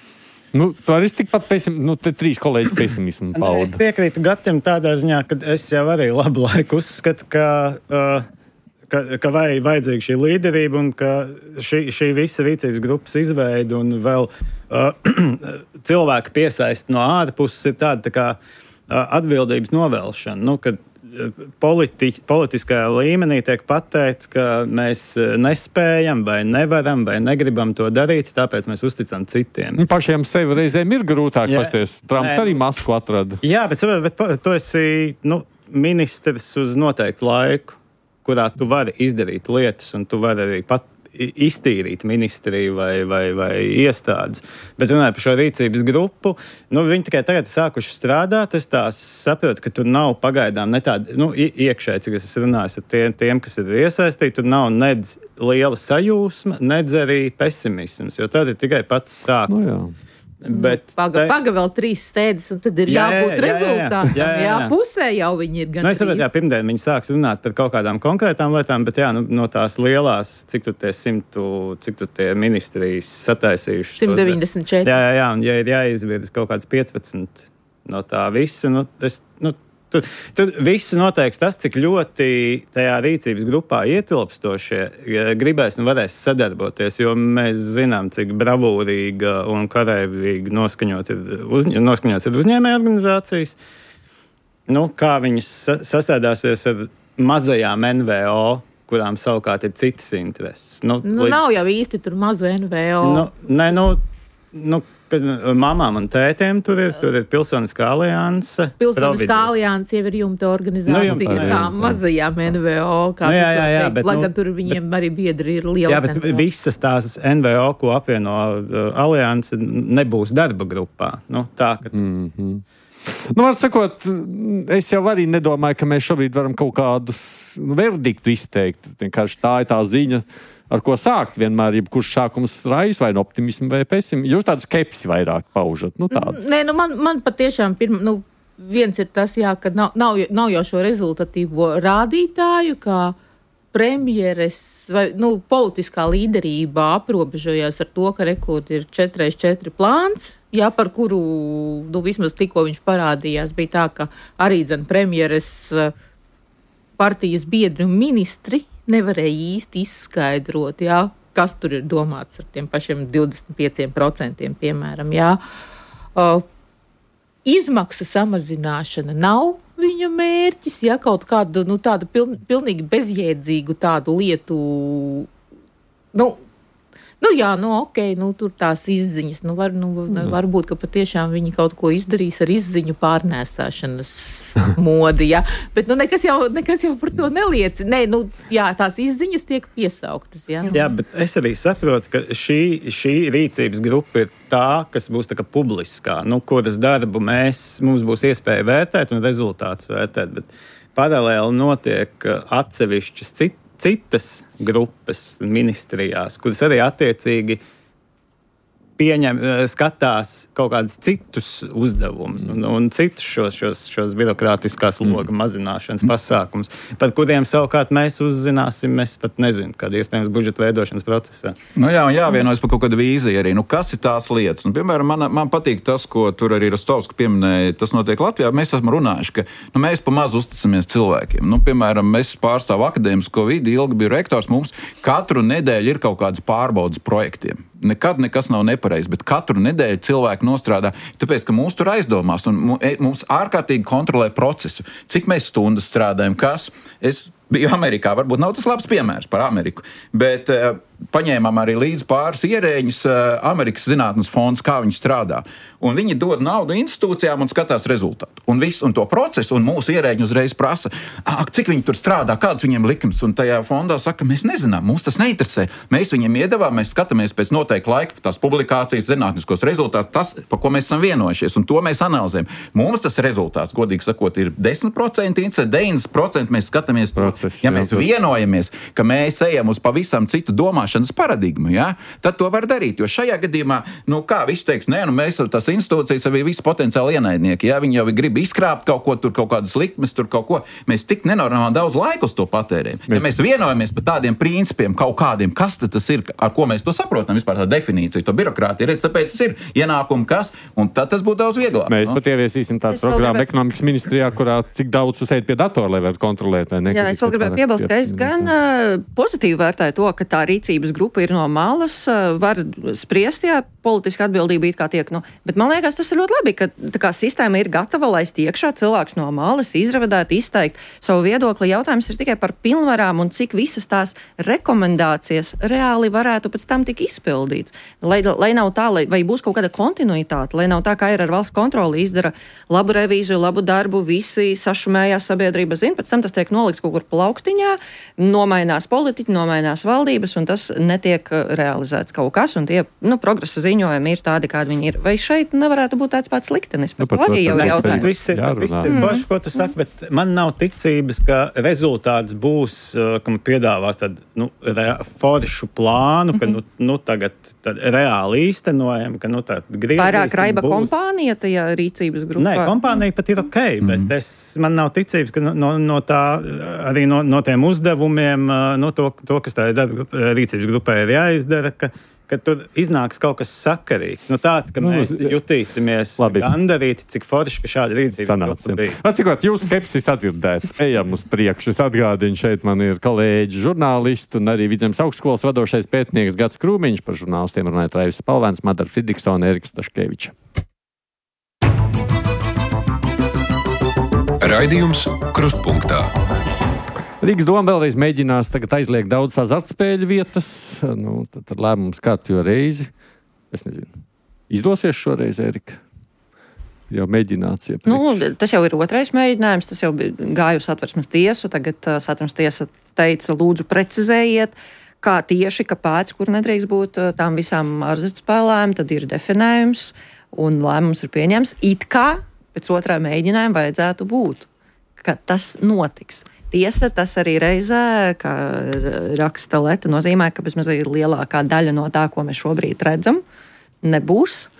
[SPEAKER 2] Nu, tā ir tikpat pesim, nu, te trīs kolēģi pesimismu pauda.
[SPEAKER 4] Es piekrītu Gatim tādā ziņā, ka es jau arī labu laiku uzskatu, ka, uh, ka, ka vai, vajadzīga šī līderība un ka šī, šī visa rīcības grupas izveida un vēl uh, cilvēku piesaist no ārpuses ir tāda tā kā uh, atbildības novēlšana. Nu, kad Politi, politiskajā līmenī tiek pateikts, ka mēs nespējam vai nevaram vai negribam to darīt, tāpēc mēs uzticam citiem.
[SPEAKER 2] Pašiem sevi reizēm ir grūtāk pasties. Trumps arī masku atrada.
[SPEAKER 4] Jā, bet, bet tu esi nu, ministrs uz noteiktu laiku, kurā tu vari izdarīt lietas un tu vari arī pat iztīrīt ministriju vai, vai, vai iestādes. Bet runājot par šo rīcības grupu, nu, viņi tikai tagad sākuši strādāt. Es tā saprotu, ka tur nav pagaidām ne tāda, nu, iekšēji, cik es esmu runājis ar tiem, tiem, kas ir iesaistīti, tur nav nedz liela sajūsma, nedz arī pesimisms, jo tad ir tikai pats sākums.
[SPEAKER 2] Nu, jā.
[SPEAKER 4] Bet
[SPEAKER 5] paga,
[SPEAKER 4] te...
[SPEAKER 5] paga vēl trīs stēdes, un tad ir jā, jābūt jā, jā, rezultātam. Jā, jā, jā. jā, pusē jau viņi ir gan.
[SPEAKER 4] Nu, es saprotu, jā, pirmdien viņi sāks runāt par kaut kādām konkrētām lietām, bet jā, nu, no tās lielās, cik tu tie simtu, cik tu tie ministrijas sataisījuši.
[SPEAKER 5] simt deviņdesmit četri.
[SPEAKER 4] Jā, jā, jā, un ja ir jāizvirz kaut kāds piecpadsmit no tā visa, nu, es, nu, Tur, tur viss noteiks tas, cik ļoti tajā rīcības grupā ietilpstošie gribēs un varēs sadarboties, jo mēs zinām, cik bravūrīga un karavīga noskaņot ir, uzņ- noskaņots ir uzņēmēja organizācijas. Nu, kā viņas sastādāsies ar mazajām N V O, kurām savukārt ir citas intereses. Nu,
[SPEAKER 5] nu, līdz... Nav jau īsti tur mazu N V O.
[SPEAKER 4] Nu, ne, nu, nu, mamām un tētiem tur ir, tur ir Pilsoniskā alianse.
[SPEAKER 5] Pilsoniskā alianse jau ir jumta organizācija, nu, jumta, kā mazajām N V O. Kā nu, jā, jā, jā, bet, lai gan nu, tur viņiem bet, arī biedri ir liels. Jā, bet N V O. Visas
[SPEAKER 4] tās N V O, ko apvieno uh, alianse, nebūs darba grupā. Nu, tā, ka...
[SPEAKER 2] Mm-hmm. Nu, var sakot, es jau arī nedomāju, ka mēs šobrīd varam kaut kādus verdiktu izteikt. Vienkārši tā ir tā ziņa, ar ko sākt vienmēr, jebkurš sākums rājas vai no optimismu vai pesimismu. Jūs tādu skepsi vairāk paužat. Nu, tādu.
[SPEAKER 5] Nē, nu man, man patiešām pirma, nu, viens ir tas, jā, ka nav, nav, nav jau šo rezultatīvo rādītāju, kā premjeres vai, nu, politiskā līderība aprobežojās ar to, ka rekord ir četri pret četri plāns. Jā, par kuru, nu, vismaz tikko viņš parādījās, bija tā, ka arī, dzen, premjeres partijas biedri un ministri nevarēja īsti izskaidrot, jā, kas tur ir domāts ar tiem pašiem divdesmit pieciem procentiem, piemēram, jā. Uh, izmaksu samazināšana nav viņa mērķis, jā, kaut kādu, nu, tādu piln, pilnīgi bezjēdzīgu tādu lietu, nu, Nu jā, nu ok, nu tur tās izziņas, nu, var, nu mm. varbūt, ka patiešām viņi kaut ko izdarīs ar izziņu pārnēsāšanas modi, jā. Bet nu nekas jau, nekas jau par to neliecina. Nē, nu jā, tās izziņas tiek piesauktas, jā.
[SPEAKER 4] Jā, bet es arī saprotu, ka šī, šī rīcības grupa ir tā, kas būs tā kā publiskā, nu, kuras darbu mēs, mums būs iespēja vērtēt un rezultātus vērtēt, bet paralēli notiek atsevišķas citas citas grupas ministrijās, kuras arī attiecīgi pieņem, skatās kaut kādus citus uzdevumus un, un citus šos, šos, šos birokrātiskās loga mazināšanas pasākumus, par kuriem savukārt mēs uzzināsim, es pat nezinu, kāda iespējams budžeta veidošanas procesā.
[SPEAKER 6] Nu jā, un jāvienojas par kaut kādu vīziju arī. Nu, kas ir tās lietas? Nu, piemēram, man, man patīk tas, ko tur arī Rostovska pieminēja, tas notiek Latvijā. Mēs esam runājuši, ka nu, mēs pa maz uzticamies cilvēkiem. Nu, piemēram, mēs pārstāv akadēmisko vidi, ilgi biju rektors, mums katru nedēļu ir kaut kādas pārbaudas projektiem. Nekad nekas nav nepareizs, bet katru nedēļu cilvēki nostrādā, tāpēc, ka mūs tur aizdomās un mums ārkārtīgi kontrolē procesu. Cik mēs stundas strādājam, kas? Es biju Amerikā, varbūt nav tas labs piemērs par Ameriku, bet uh, paņēmām arī līdz pāris ierēģus uh, Amerikas zinātnes fonds, kā viņi strādā. Un viņi dod naudu institūcijām un skatās rezultātu. Un visu, un to procesu, un mūsu ierēģi uzreiz prasa, cik viņi tur strādā, kāds viņiem likums. Un tajā fondā saka, mēs nezinām, mums tas neinteresē. Mēs viņiem iedavām, mēs skatāmies pēc noteikta laika tās publikācijas, zinātniskos rezultātus, tas, par ko mēs esam vienojušies, un to mēs analizējam. Mums tas rezultāts, godīgi sakot, ir desmit procenti, deviņdesmit procenti mēs skatāmies. Proces, ja mēs jā, vienojamies, ka mēs ejam uz pavisam citu domāšanas paradigmu, ja, tad to var darīt. Jo šajā gadījumā, nu kā viss teiks, nē, nu mēs tas institūcijas arī visi potenciāli ienaidnieki. Ja viņi jau grib izkrāpt kaut ko, tur kaut kādas likmes, tur kaut ko. Mēs tik nenormāli daudz laika uz to patērējam. Ja mēs vienojamies par tādiem principiem, kaut kādiem, kas tas ir, ar ko mēs to saprotam, vispār tā definīcija, to birokrātiju, redz, tāpēc tas ir ienākumi, kas, un tad tas būtu daudz vieglāk.
[SPEAKER 2] Mēs
[SPEAKER 6] no?
[SPEAKER 2] pat ieviesīsim tādu programmu gribētu... ekonomikas ministrijā, kurā cik daudz uzsēt pie datora, lai varētu kontrolēt. Vai ne,
[SPEAKER 3] Jā, es vēl gribētu piebilst, ka es gan uh, pozitīvi vērtēju to, ka tā rīcības grupa ir no malas, uh, var spriest, jā, politiska atbildība it kā tiek, nu, bet man liekas, tas ir ļoti labi, ka tā kā sistēma ir gatava laist iekšā cilvēks no malas, izravadēt, izteikt savu viedokli. Jautājums ir tikai par pilnvarām un cik visas tās rekomendācijas reāli varētu pēc tam tik izpildīts. Lai, lai nav tā, lai, vai būs kaut kāda kontinuitāte, lai nav tā, kā ir ar valsts kontroli, izdara labu revīziju, labu darbu, visi sašumējās sabiedrība zina, pēc tam tas tiek nolikts kaut kur plauktiņā, nomainās politiķi, nomainās valdības, un tas netiek realizēts kaut kas, un tie, nu, progresa ziņojumi ir tādi, kādi viņi ir. Vai šeit nevarētu būt tāds pats liktenis? Par nu, to arī jau ir jautājums.
[SPEAKER 4] Tas viss ir, tas viss ir paši, ko tu saki, bet man nav ticības, ka rezultāts būs, ka man piedāvās tādu, nu, foršu plānu, ka, nu, nu tagad reāli īstenojam, ka, nu, tā griezīsim.
[SPEAKER 3] Vairāk raiba būs. Kompānija tajā rīcības grupā?
[SPEAKER 4] Nē, kompānija pat ir ok, bet mm. es, man nav ticības, ka no, no tā, arī no, no tiem uzdevumiem, no to, to kas tā rīcības grupai ir jāizdara, ka ka tur iznāks kaut kas sakarīgs. Nu, tāds, ka nu, mēs jutīsimies gandarīti, cik forši, ka šāda rīcība bija.
[SPEAKER 2] Atcīmot, jūs skepsis atdzirdēt. Ejam uz priekšu. Es atgādinu, šeit man ir kolēģi žurnālisti un arī Vidzemes augstskolas vadošais pētnieks Gats Krūmiņš, par žurnālistiem runājot Raivis Spalvēns, Madara Fridiksona, Eriks Staškeviča.
[SPEAKER 1] Raidījums Krustpunktā.
[SPEAKER 2] Rīgas doma vēlreiz mēģinās tagad aizliegt daudz azartspēļu vietas. Nu, tad, tad lēmums kārtjo reizi. Es nezinu. Izdosies šoreiz, Erika? Jau mēģināts iepriekš.
[SPEAKER 3] Nu, tas jau ir otrais mēģinājums. Tas jau gāja uz Satversmes tiesu. Tagad uh, Satversmes tiesa teica, lūdzu precizējiet, kā tieši, kāpēc, kur nedrīkst būt uh, tām visām azartspēlēm. Tad ir definējums un lēmums ir pieņems. It kā pēc otrā mēģinājuma vajadzētu būt, ka tas notiks. Tiesa, tas arī reizē, kā raksta Leta, nozīmē, ka bezmazliet lielākā daļa no tā, ko mēs šobrīd redzam, nebūs.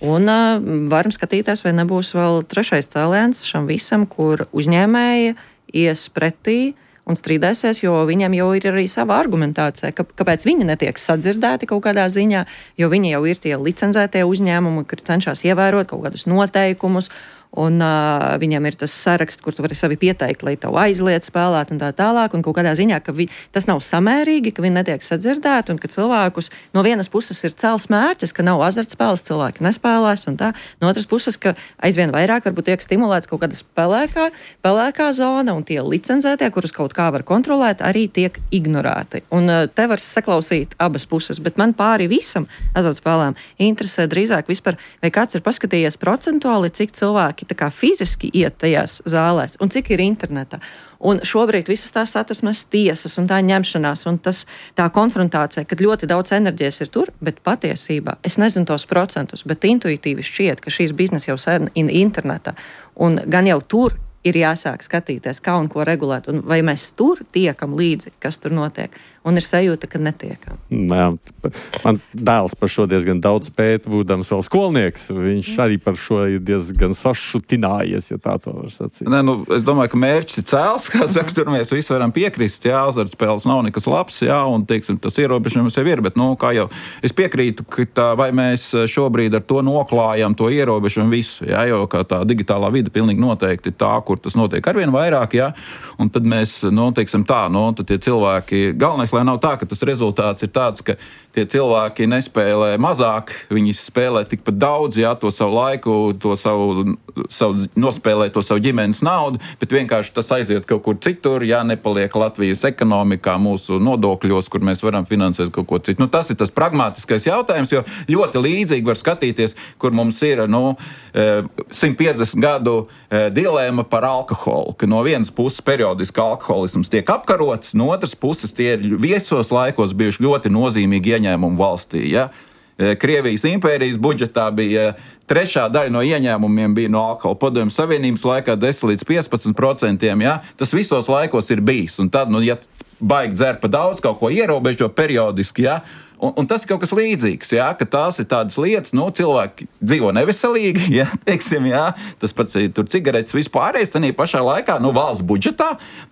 [SPEAKER 3] Un uh, varam skatīties, vai nebūs vēl trešais cēliens šam visam, kur uzņēmēji ies pretī un strīdēsies, jo viņam jau ir arī sava argumentācija, ka, kāpēc viņi netiek sadzirdēti kaut kādā ziņā, jo viņi jau ir tie licenzētie uzņēmumi, kur cenšas ievērot kaut kādus noteikumus, un uh, viņam ir tas saraksts, kur tu vari sevi pieteikt, lai tev aizliet spēlēt un tā tālāk, un kaut kādā ziņā, ka vi, tas nav samērīgi, ka viņi netiek sadzirdēti, un ka cilvēkus no vienas puses ir cēls mērķis, ka nav azartspēles, cilvēki nespēlēs, un tā, no otras puses, ka aizvien vairāk varbūt tiek stimulēts kaut kāda spēlēkā, pelēkā zona, un tie licencētie, kurus kaut kā var kontrolēt, arī tiek ignorēti. Un uh, te var saklausīt abas puses, bet man pāri visam azartspēlēm interesē drīzāk vispār, vai kāds ir paskatījies procentuāli, cik cilvēki tā kā fiziski iet tajās zālēs un cik ir internetā. Un šobrīd visas tās Satversmes tiesas un tā ņemšanās un tas, tā konfrontācija, kad ļoti daudz enerģijas ir tur, bet patiesībā, es nezinu tos procentus, bet intuitīvi šķiet, ka šīs biznesa jau sen ir internetā. Un gan jau tur ir jāsāk skatīties, kā un ko regulēt, un vai mēs tur tiekam līdzi, kas tur notiek. un ir sajūta, ka netiekam.
[SPEAKER 2] Jā, mans dēls par šo diezgan daudz pēta, būdams vēl skolnieks. Viņš arī par šo ir diezgan sašutinājies, ja tā to var sacīt.
[SPEAKER 6] Nē, nu, es domāju, ka mērķis ir cēls, kā saka, tur mēs visi varam piekrist, jā, azartspēles nav nekas labs, jā, un, teiksim, tas ierobežojums jau ir, bet, nu, kā jau es piekrītu, ka tā, vai mēs šobrīd ar to noklājam to ierobežojumu visu, jā, jo kā tā digitālā vide pilnīgi noteikti tā, kur tas notiek arvien vairāk, jā, un tad mēs, nu, teiksim tā, nu, tad tie cilvēki, galvenais, lai nav tā, ka tas rezultāts ir tāds, ka tie cilvēki nespēlē mazāk, viņi spēlē tikpat daudz, jā, to savu laiku, to savu, savu nospēlē to savu ģimenes naudu, bet vienkārši tas aiziet kaut kur citur, jā, nepaliek Latvijas ekonomikā, mūsu nodokļos, kur mēs varam finansēt kaut ko citu. Nu, tas ir tas pragmatiskais jautājums, jo ļoti līdzīgi var skatīties, kur mums ir, nu, simt piecdesmit gadu dilēma par alkoholu, ka no vienas puses periodiski alkoholisms tiek apkarots, no otras puses tie ir viesos laikos bijuši ļoti nozīmīgi ieņēmumi valstī, ja? Krievijas impērijas budžetā bija trešā daļa no ieņēmumiem bija no alkohola. Padomju Savienības laikā desmit līdz piecpadsmit procentiem, ja? Tas visos laikos ir bijis. Un tad, nu, ja baigi dzer pa daudz, kaut ko ierobežo periodiski, ja? Un, un tas ir kaut kas līdzīgs, jā, ka tās ir tādas lietas, nu, cilvēki dzīvo neveselīgi, jā, teiksim, jā, tas pats ir tur cigaretes vispārējais, tanī pašā laikā, nu, valsts budžetā,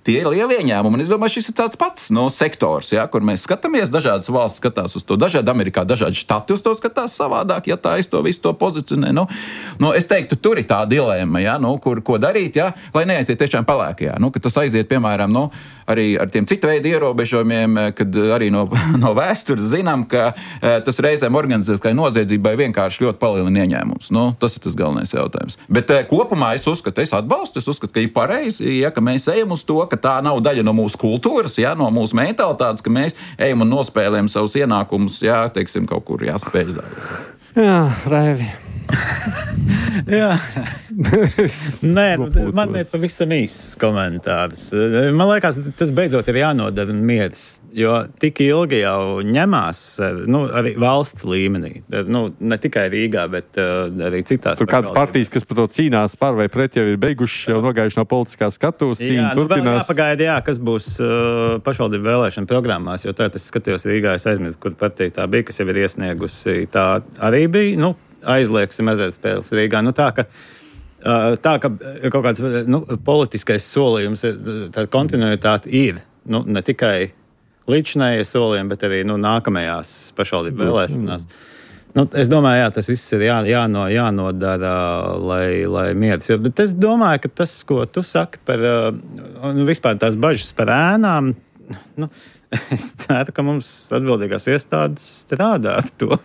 [SPEAKER 6] tie ir lieli ieņēmumi, un es domāju, šis ir tāds pats, nu, sektors, jā, kur mēs skatāmies, dažādas valsts skatās uz to, dažādi Amerikā, dažādi štati uz to skatās savādāk, ja tā es to visu to pozicionē, nu, nu, es teiktu, tur ir tā dilēma, jā, nu, kur, ko darīt, jā, lai neaiziet tiešām pelēkajā, nu, ka tas aiziet, piemēram, nu, arī ar tiem citu veidu ierobežojumiem, kad arī no, no vēstures zinām, ka e, tas reizēm organizētai noziedzībai vienkārši ļoti palielina ieņēmumus. Nu, tas ir tas galvenais jautājums. Bet e, kopumā es uzskatu, es atbalstu, es uzskatu, ka ir pareizi, ja, ka mēs ejam uz to, ka tā nav daļa no mūsu kultūras, ja, no mūsu mentalitātes, ka mēs ejam un nospēlējam savus ienākumus, ja, teiksim, kaut kur jāspēj zāļot.
[SPEAKER 2] Jā, Raivi.
[SPEAKER 4] Jā, nē, man ir pavisam īsts komentārs. Man liekas, tas beidzot ir jānodara mieris, jo tik ilgi jau ņemās, nu, arī valsts līmenī, nu, ne tikai Rīgā, bet uh, arī citās.
[SPEAKER 2] Tur kādas partijas, kas par to cīnās par vai pret, jau ir beiguši, jau nogājuši no politiskās skatuves, cīņa
[SPEAKER 4] nu,
[SPEAKER 2] turpinās.
[SPEAKER 4] Jā, pagaida, jā, kas būs uh, pašvaldību vēlēšana programmās, jo tā es skatījos Rīgā, es aizmirstu, kur partija tā bija, kas jau ir iesniegusi, tā arī bija, nu, aizliegsim azartspēles Rīgā. Nu, tā, ka, tā, ka kaut kāds nu, politiskais solījums, tā kontinuitāte ir, nu, ne tikai līdzinājie solījumi, bet arī nu, nākamajās pašvaldību vēlēšanās. Nu, es domāju, jā, tas viss ir jā, jāno, jānodara, lai, lai mieras. Jo, bet es domāju, ka tas, ko tu saki par nu, vispār tās bažas par ēnām, nu, es ceru, ka mums atbildīgās iestādes strādā ar to.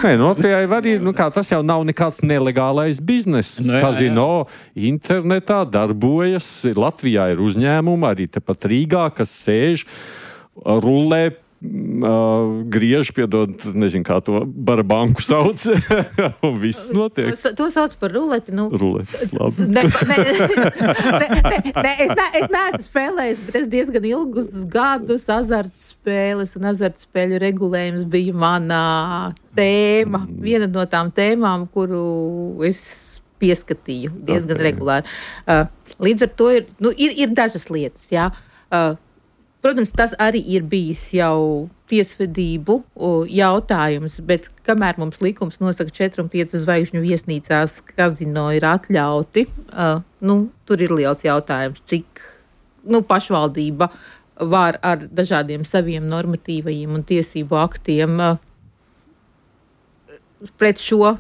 [SPEAKER 2] Nē, no tie arī, nu kā, tas jau nav nekāds nelegālais bizness.
[SPEAKER 4] Nu, jā,
[SPEAKER 2] Kazino internetā darbojas, Latvijā ir uzņēmumi, arī tepat Rīgā, kas sēž, rulē, Uh, griež, piedod, nezinu, kā to barabanku sauc, un viss notiek.
[SPEAKER 5] To, to sauc par ruleti, nu.
[SPEAKER 2] Ruleti, labi.
[SPEAKER 5] Ne, ne, ne, ne, ne, es, ne, es neesmu spēlējis, bet es diezgan ilgus gadus azartspēles un azartspēļu regulējums bija manā tēma, viena no tām tēmām, kuru es pieskatīju diezgan okay. regulāri. Uh, līdz ar to ir, nu, ir, ir dažas lietas, jā. Uh, Protams, tas arī ir bijis jau tiesvedību jautājums, bet kamēr mums likums nosaka četru un piecu zvaigžņu viesnīcās kazino ir atļauti, uh, nu, tur ir liels jautājums, cik nu, pašvaldība var ar dažādiem saviem normatīvajiem un tiesību aktiem uh, pret šo.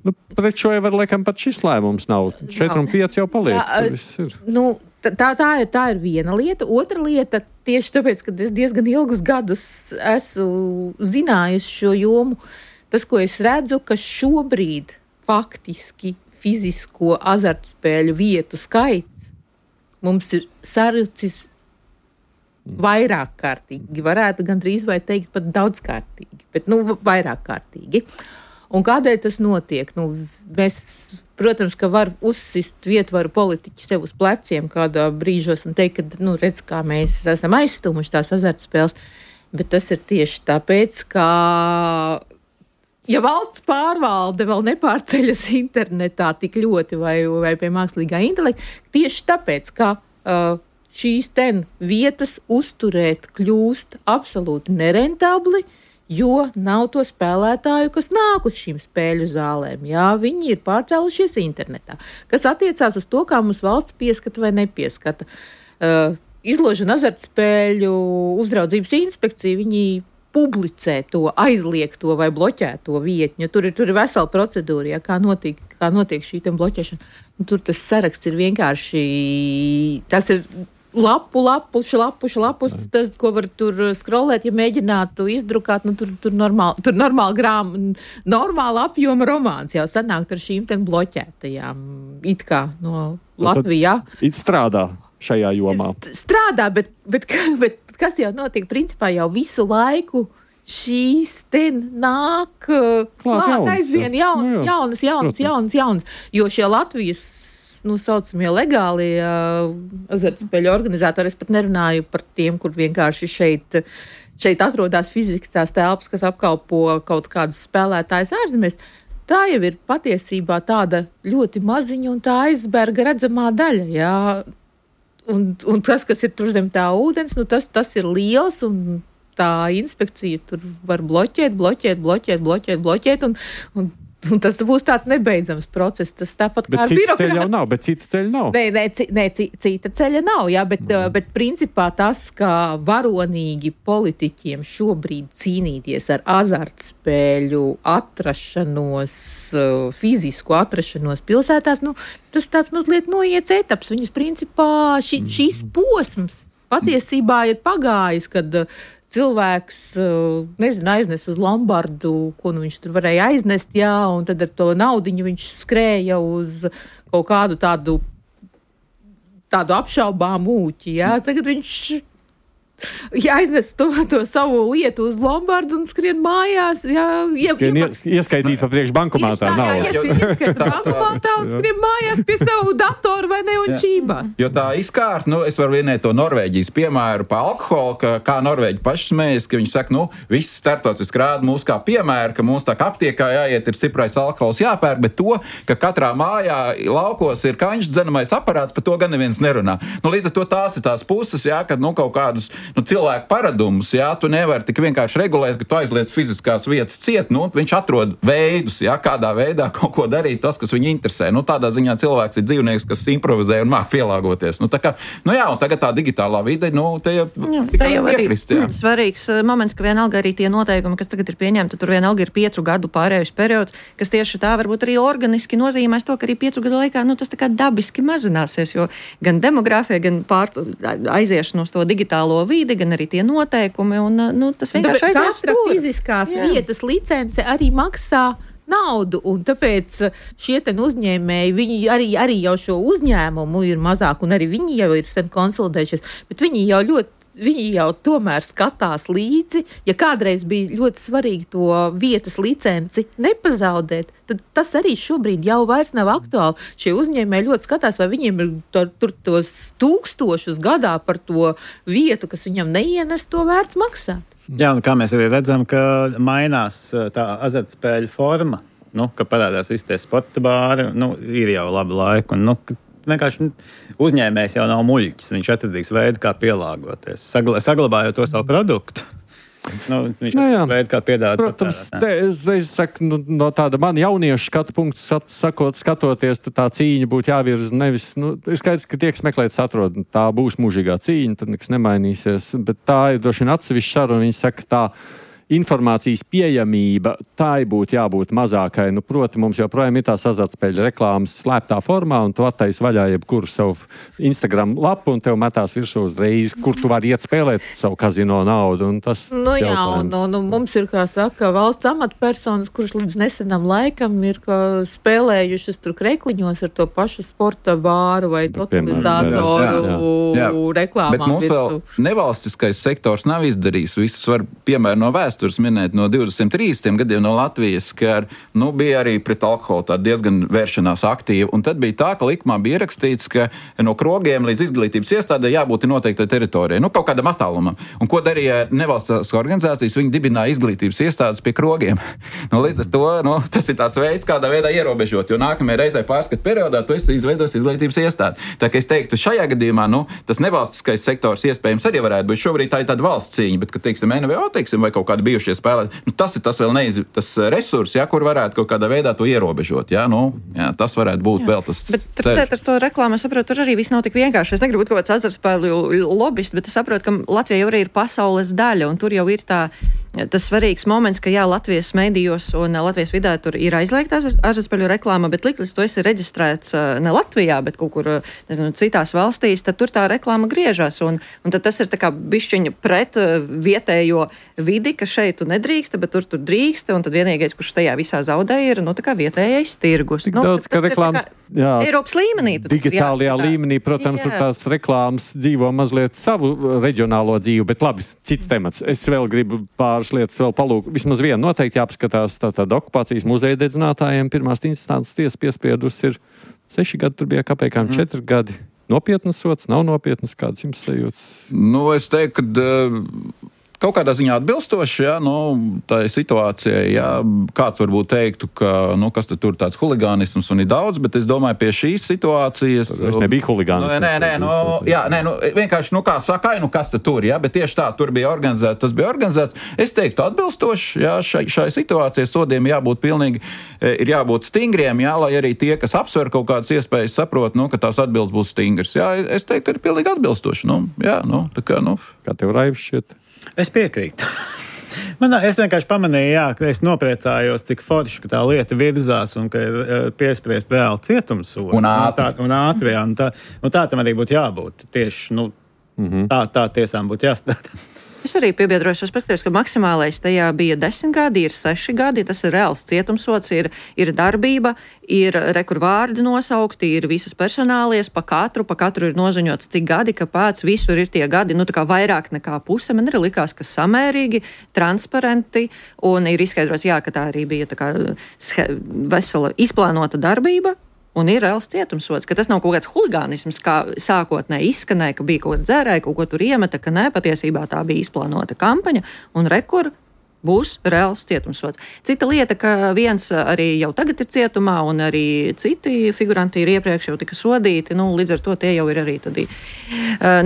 [SPEAKER 2] Nu, pret šo jau var, laikam, pat šis lēmums nav. četri un pieci jau paliek. Jā, viss ir.
[SPEAKER 5] Nu, Tā, tā, ir, tā ir viena lieta. Otra lieta, tieši tāpēc, ka es diezgan ilgus gadus esmu zinājusi šo jomu, tas, ko es redzu, ka šobrīd faktiski fizisko azartspēļu vietu skaits mums ir sarucis vairāk kārtīgi. Varētu gandrīz vai teikt pat daudzkārtīgi, bet nu, vairāk kārtīgi. Un kādēļ tas notiek? Nu, mēs, protams, ka var uzsist vietvaru politiķi sev uz pleciem kādā brīžos un teikt, ka, nu, redz, kā mēs esam aizstumuši tās azartspēles, bet tas ir tieši tāpēc, ka, ja valsts pārvalde vēl nepārceļas internetā tik ļoti vai, vai pie mākslīgā intelekta, tieši tāpēc, ka uh, šīs ten vietas uzturēt kļūst absolūti nerentabli, jo nav to spēlētāju, kas nāk uz šīm spēļu zālēm. Jā, viņi ir pārcēlušies internetā, kas attiecās uz to, kā mums valsts pieskata vai nepieskata. Uh, Izložu un azartspēļu uzraudzības inspekcija, viņi publicē to aizliegto vai bloķēto vietņu. Tur ir, tur ir vesela procedūra, ja, kā, notiek, kā notiek šī bloķēšana. Un tur tas saraksts ir vienkārši, tas ir lapu, lapu, šlapu, šlapus, tas, ko var tur scrollēt, ja mēģinātu izdrukāt, nu tur, tur normāli, tur normāli grām, normāla apjoma romāns jau sanāk ar šīm ten bloķētajām, it kā no Latvijā.
[SPEAKER 2] It strādā šajā jomā.
[SPEAKER 5] Strādā, bet, bet, bet kas jau notiek, principā jau visu laiku šīs ten nāk klāt, klāt aizvien jaun, nu, jaunas, jaunas, jaunas, jaunas, jo šie Latvijas, nu, saucamie legālie uh, azartspēļu organizatori, es pat nerunāju par tiem, kur vienkārši šeit, šeit atrodas fiziski tās telpas, kas apkalpo kaut kādus spēlētājus ārzemēs. Tā jau ir patiesībā tāda ļoti maziņa un tā aizberga redzamā daļa, jā. Un, un tas, kas ir tur zem tā ūdens, nu tas, tas ir liels, un tā inspekcija tur var bloķēt, bloķēt, bloķēt, bloķēt, bloķēt, un, un, un tas būs tāds nebeidzams process. Tas tāpat kā ar birokrātiju. Bet cita ceļa jau nav, bet cita ceļa nav. Nē, nē, c, nē c, cita ceļa nav, jā, bet, mm. bet principā tas, kā varonīgi politiķiem šobrīd cīnīties ar azartspēļu atrašanos, fizisku atrašanos pilsētās, nu, tas tāds mazliet noiets etaps. Viņas principā ši, šīs posms patiesībā ir pagājis, kad cilvēks, nezinu, aiznes uz Lombardu, ko nu viņš tur varēja aiznest, jā, un tad ar to naudiņu viņš skrēja uz kaut kādu tādu, tādu apšaubām ūķi, jā. Tagad viņš ja aiznes to, to savu lietu uz Lombardu un skrien mājās, jā, ja,
[SPEAKER 2] skrien ja, ieskaidīt pa priekš bankomātā nav.
[SPEAKER 5] Jā, jā, ieskaidīt bankomātā un skrien mājās pie savu datoru vai ne un čībās.
[SPEAKER 6] Jo tā izkārt, nu, es varu vienēt to Norvēģijas piemēru pa alkoholu, ka, kā Norvēģi paši smējas, ka viņi saka, nu, visi starptautiski rāda mūs kā piemēru, ka mums tā kā aptiekā jāiet, ir stiprais alkohols jāpērk, bet to, ka katrā mājā laukos ir kaņš dzenamais aparāts, par to gan neviens nerunā. Nu, līdz ar to tās ir tās puses, jā, kad, nu, kaut kādus nu, cilvēku paradumus, jā, tu nevari tik vienkārši regulēt, ka tu aizliec fiziskās vietas ciet, nu, viņš atrod veidus, jā, kādā veidā kaut ko darīt, tas, kas viņu interesē. Nu, tādā ziņā cilvēks ir dzīvnieks, kas improvizē un māk pielāgoties. Nu, tā kā, nu jā, un tagad tā digitālā vide, nu, te jau,
[SPEAKER 3] jā, te jau piekrist, jā. Svarīgs moments, ka vienalga arī tie noteikumi, kas tagad ir pieņemti, tur vienalga ir piecu gadu pārējus periods, kas tieši tā varbūt arī organiski nozīmēs to, ka arī piecu gadu laikā, nu, tas tā kā dabiski mazināsies, jo gan demogrāfija, gan pār, aiziešana uz to digitālo vidi, gan arī tie noteikumi, un, nu, tas vienkārši aizies
[SPEAKER 5] stūri. Katra fiziskās jā. Vietas licence arī maksā naudu, un tāpēc šie ten uzņēmēji, viņi arī, arī jau šo uzņēmumu ir mazāk, un arī viņi jau ir sen konsolidējušies, bet viņi jau ļoti viņi jau tomēr skatās līdzi, ja kādreiz bija ļoti svarīgi to vietas licenci nepazaudēt, tad tas arī šobrīd jau vairs nav aktuāli. Šie uzņēmēji ļoti skatās, vai viņiem ir tur, tur tos tūkstošus gadā par to vietu, kas viņam neienes, to vērts maksāt.
[SPEAKER 4] Jā, un kā mēs arī redzam, ka mainās tā azartspēļu forma, nu, ka parādās visi tie sporta bāri, nu, ir jau labi laiki, un, nu, vienkārši uzņēmējs jau nav muļķis. Viņš atradīs veidu, kā pielāgoties, sagla, saglabājot to savu produktu. Nu, viņš
[SPEAKER 2] nu,
[SPEAKER 4] atradīs veidu, kā piedāvāt.
[SPEAKER 2] Protams, te, es reiz saku, nu, no tāda man jauniešu skatu punktu sakot, skatoties, tā cīņa būtu jāvirza nevis, nu, ir skaidrs, ka tiek smēklēts atrod, tā būs mūžīgā cīņa, tad nekas nemainīsies, bet tā ir droši vien atsevišķa saruna, viņi saka tā, informācijas pieejamība, tai būtu jābūt mazākai. Nu, proti, mums joprojām ir tās azartspēļu reklāmas slēptā formā, un tu attaisi vaļā jebkuru savu Instagram lapu, un tev metās virsū uzreiz, kur tu vari iet spēlēt savu kazino naudu. Un tas,
[SPEAKER 5] nu, jā, un, un, un mums ir, kā saka, valsts amatpersonas, kuras līdz nesenam laikam ir spēlējušas tur krekliņos ar to pašu sporta bāru vai totalizatoru reklāmām.
[SPEAKER 6] Bet mums
[SPEAKER 5] virsū.
[SPEAKER 6] Vēl nevalstiskais sektors nav izdarījis visus, var piemēru no vēstures vēstures minēt no divdesmit trīsdesmit gadiem no Latvijas, ka nu, bija arī pret alkoholu tā diezgan vēršanās aktīva. Un tad bija tā, ka likumā bija ierakstīts, ka no krogiem līdz izglītības iestādē jābūt noteiktai teritorijai, nu kaut kādam attālumam. Un ko darīja nevalstiskās organizācijas? Viņi dibināja izglītības iestādes pie krogiem. Nu, līdz ar to nu, tas ir tāds veids, kādā veidā ierobežot, jo nākamajā reizē pārskatu periodā tu esi izveidojis izglītības iestādi. Tā kā es teiktu, šajā gadījumā nu, tas nevalstiskais sektors iespējams arī varētu būt. Šobrīd tā ir tāda valsts cīņa, bet, kad teiksim, N V O, teiksim, vai kaut kādi bijušie spēlētāji, nu, tas ir tas vēl neiz, tas resurs, ja, kur varētu kaut kādā veidā to ierobežot. Ja, nu, ja, tas varētu būt jā. Vēl tas.
[SPEAKER 3] Bet turpretī ar to reklāmu, es saprotu, tur arī viss nav tik vienkārši. Es negribu būt kaut kāds azartspēļu lobbyists, bet es saprotu, ka Latvija jau arī ir pasaules daļa, un tur jau ir tā, tas svarīgs moments, ka jā, Latvijas medijos un Latvijas vidē tur ir aizliegta azartspēļu reklāma, bet liklis to esi reģistrēts ne Latvijā, bet kaut kur, nezinu, citās valstīs, tad tur tā reklāma griežas, un, un tad tas ir tā kā bišķiņa pret vietējo vidi, ka šeit tu nedrīkst, bet tur tur drīkst, un tad vienīgais, kurš tajā visā zaudē, ir, nu, tā kā vietējais tirgus.
[SPEAKER 2] Tik
[SPEAKER 3] nu,
[SPEAKER 2] daudz, ka reklāmas, jā,
[SPEAKER 3] Eiropas līmenī.
[SPEAKER 2] Digitālajā līmenī, protams, jā. Tur tās reklāmas dzīvo mazliet savu reģionālo dzīvi, bet labi, cits temats. Es vēl gribu pāris lietas vēl palūk. Vismaz vienu noteikti jāpaskatās tātad okupācijas muzeja dedzinātājiem. Pirmās instances tiesa piespriedus ir seši gadi, tur bija kapēkām mm. četri gadi. Nopietnas sots, nav nopietnas, kādas jums sajūtas?
[SPEAKER 6] Nu, es teiktu, ka uh, kaut kādā ziņā atbilstoši, jā, nu, tā situācija, jā, kāds varbūt teiktu, ka, nu, kas tad tur tāds huligānisms un ir daudz, bet es domāju, pie šīs situācijas...
[SPEAKER 2] Es nebiju huligānisms.
[SPEAKER 6] Nu, nē, nē, nu, jā, nē, nu, vienkārši, nu, kā saka, nu, kas tad tur, jā, bet tieši tā, tur bija organizēts, tas bija organizēts. Es teiktu atbilstoši, jā, šai, šai situācijai sodiem jābūt pilnīgi, ir jābūt stingriem, jā, lai arī tie, kas apsver kaut kādas iespējas, saprot, nu, ka tās atbildes būs stingras. Jā, es teiktu, ka ir pilnīgi atbilstoši, nu, jā, nu, tā kā, nu.
[SPEAKER 2] Kā tev Raivs šķiet?
[SPEAKER 4] Es piekrītu. Man, es vienkārši pamanīju, jā, ka es nopriecājos, cik forši tā lieta virzās un ka ir piespriest reāli cietumsodu.
[SPEAKER 6] Un ātri.
[SPEAKER 4] Un ātri, jā. Un tā, un tā tam arī būtu jābūt. Tieši, nu, mm-hmm. tā, tā tiesām būtu jāstrādā.
[SPEAKER 3] Es arī piebiedroju šos perspektīvas, ka maksimālais tajā bija desmit gadi, ir seši gadi, tas ir reāls cietumsods, ir, ir darbība, ir rekurvārdi nosaukti, ir visas personālies, pa katru, pa katru ir noziņots cik gadi, kāpēc visur ir tie gadi, nu tā kā vairāk nekā puse, man arī likās, ka samērīgi, transparenti, un ir izskaidrots, jā, ka tā arī bija tā kā vesela izplānota darbība. Un ir reāls cietumsods, ka tas nav kaut kāds huligānisms, kā sākotnēji izskanēja, ka bija kaut ko dzērēja, kaut ko tur iemeta, ka nē, patiesībā tā bija izplānota kampaņa, un rekur būs reāls cietumsods. Cita lieta, ka viens arī jau tagad ir cietumā, un arī citi figuranti ir iepriekš jau tika sodīti, nu, līdz ar to tie jau ir arī tādī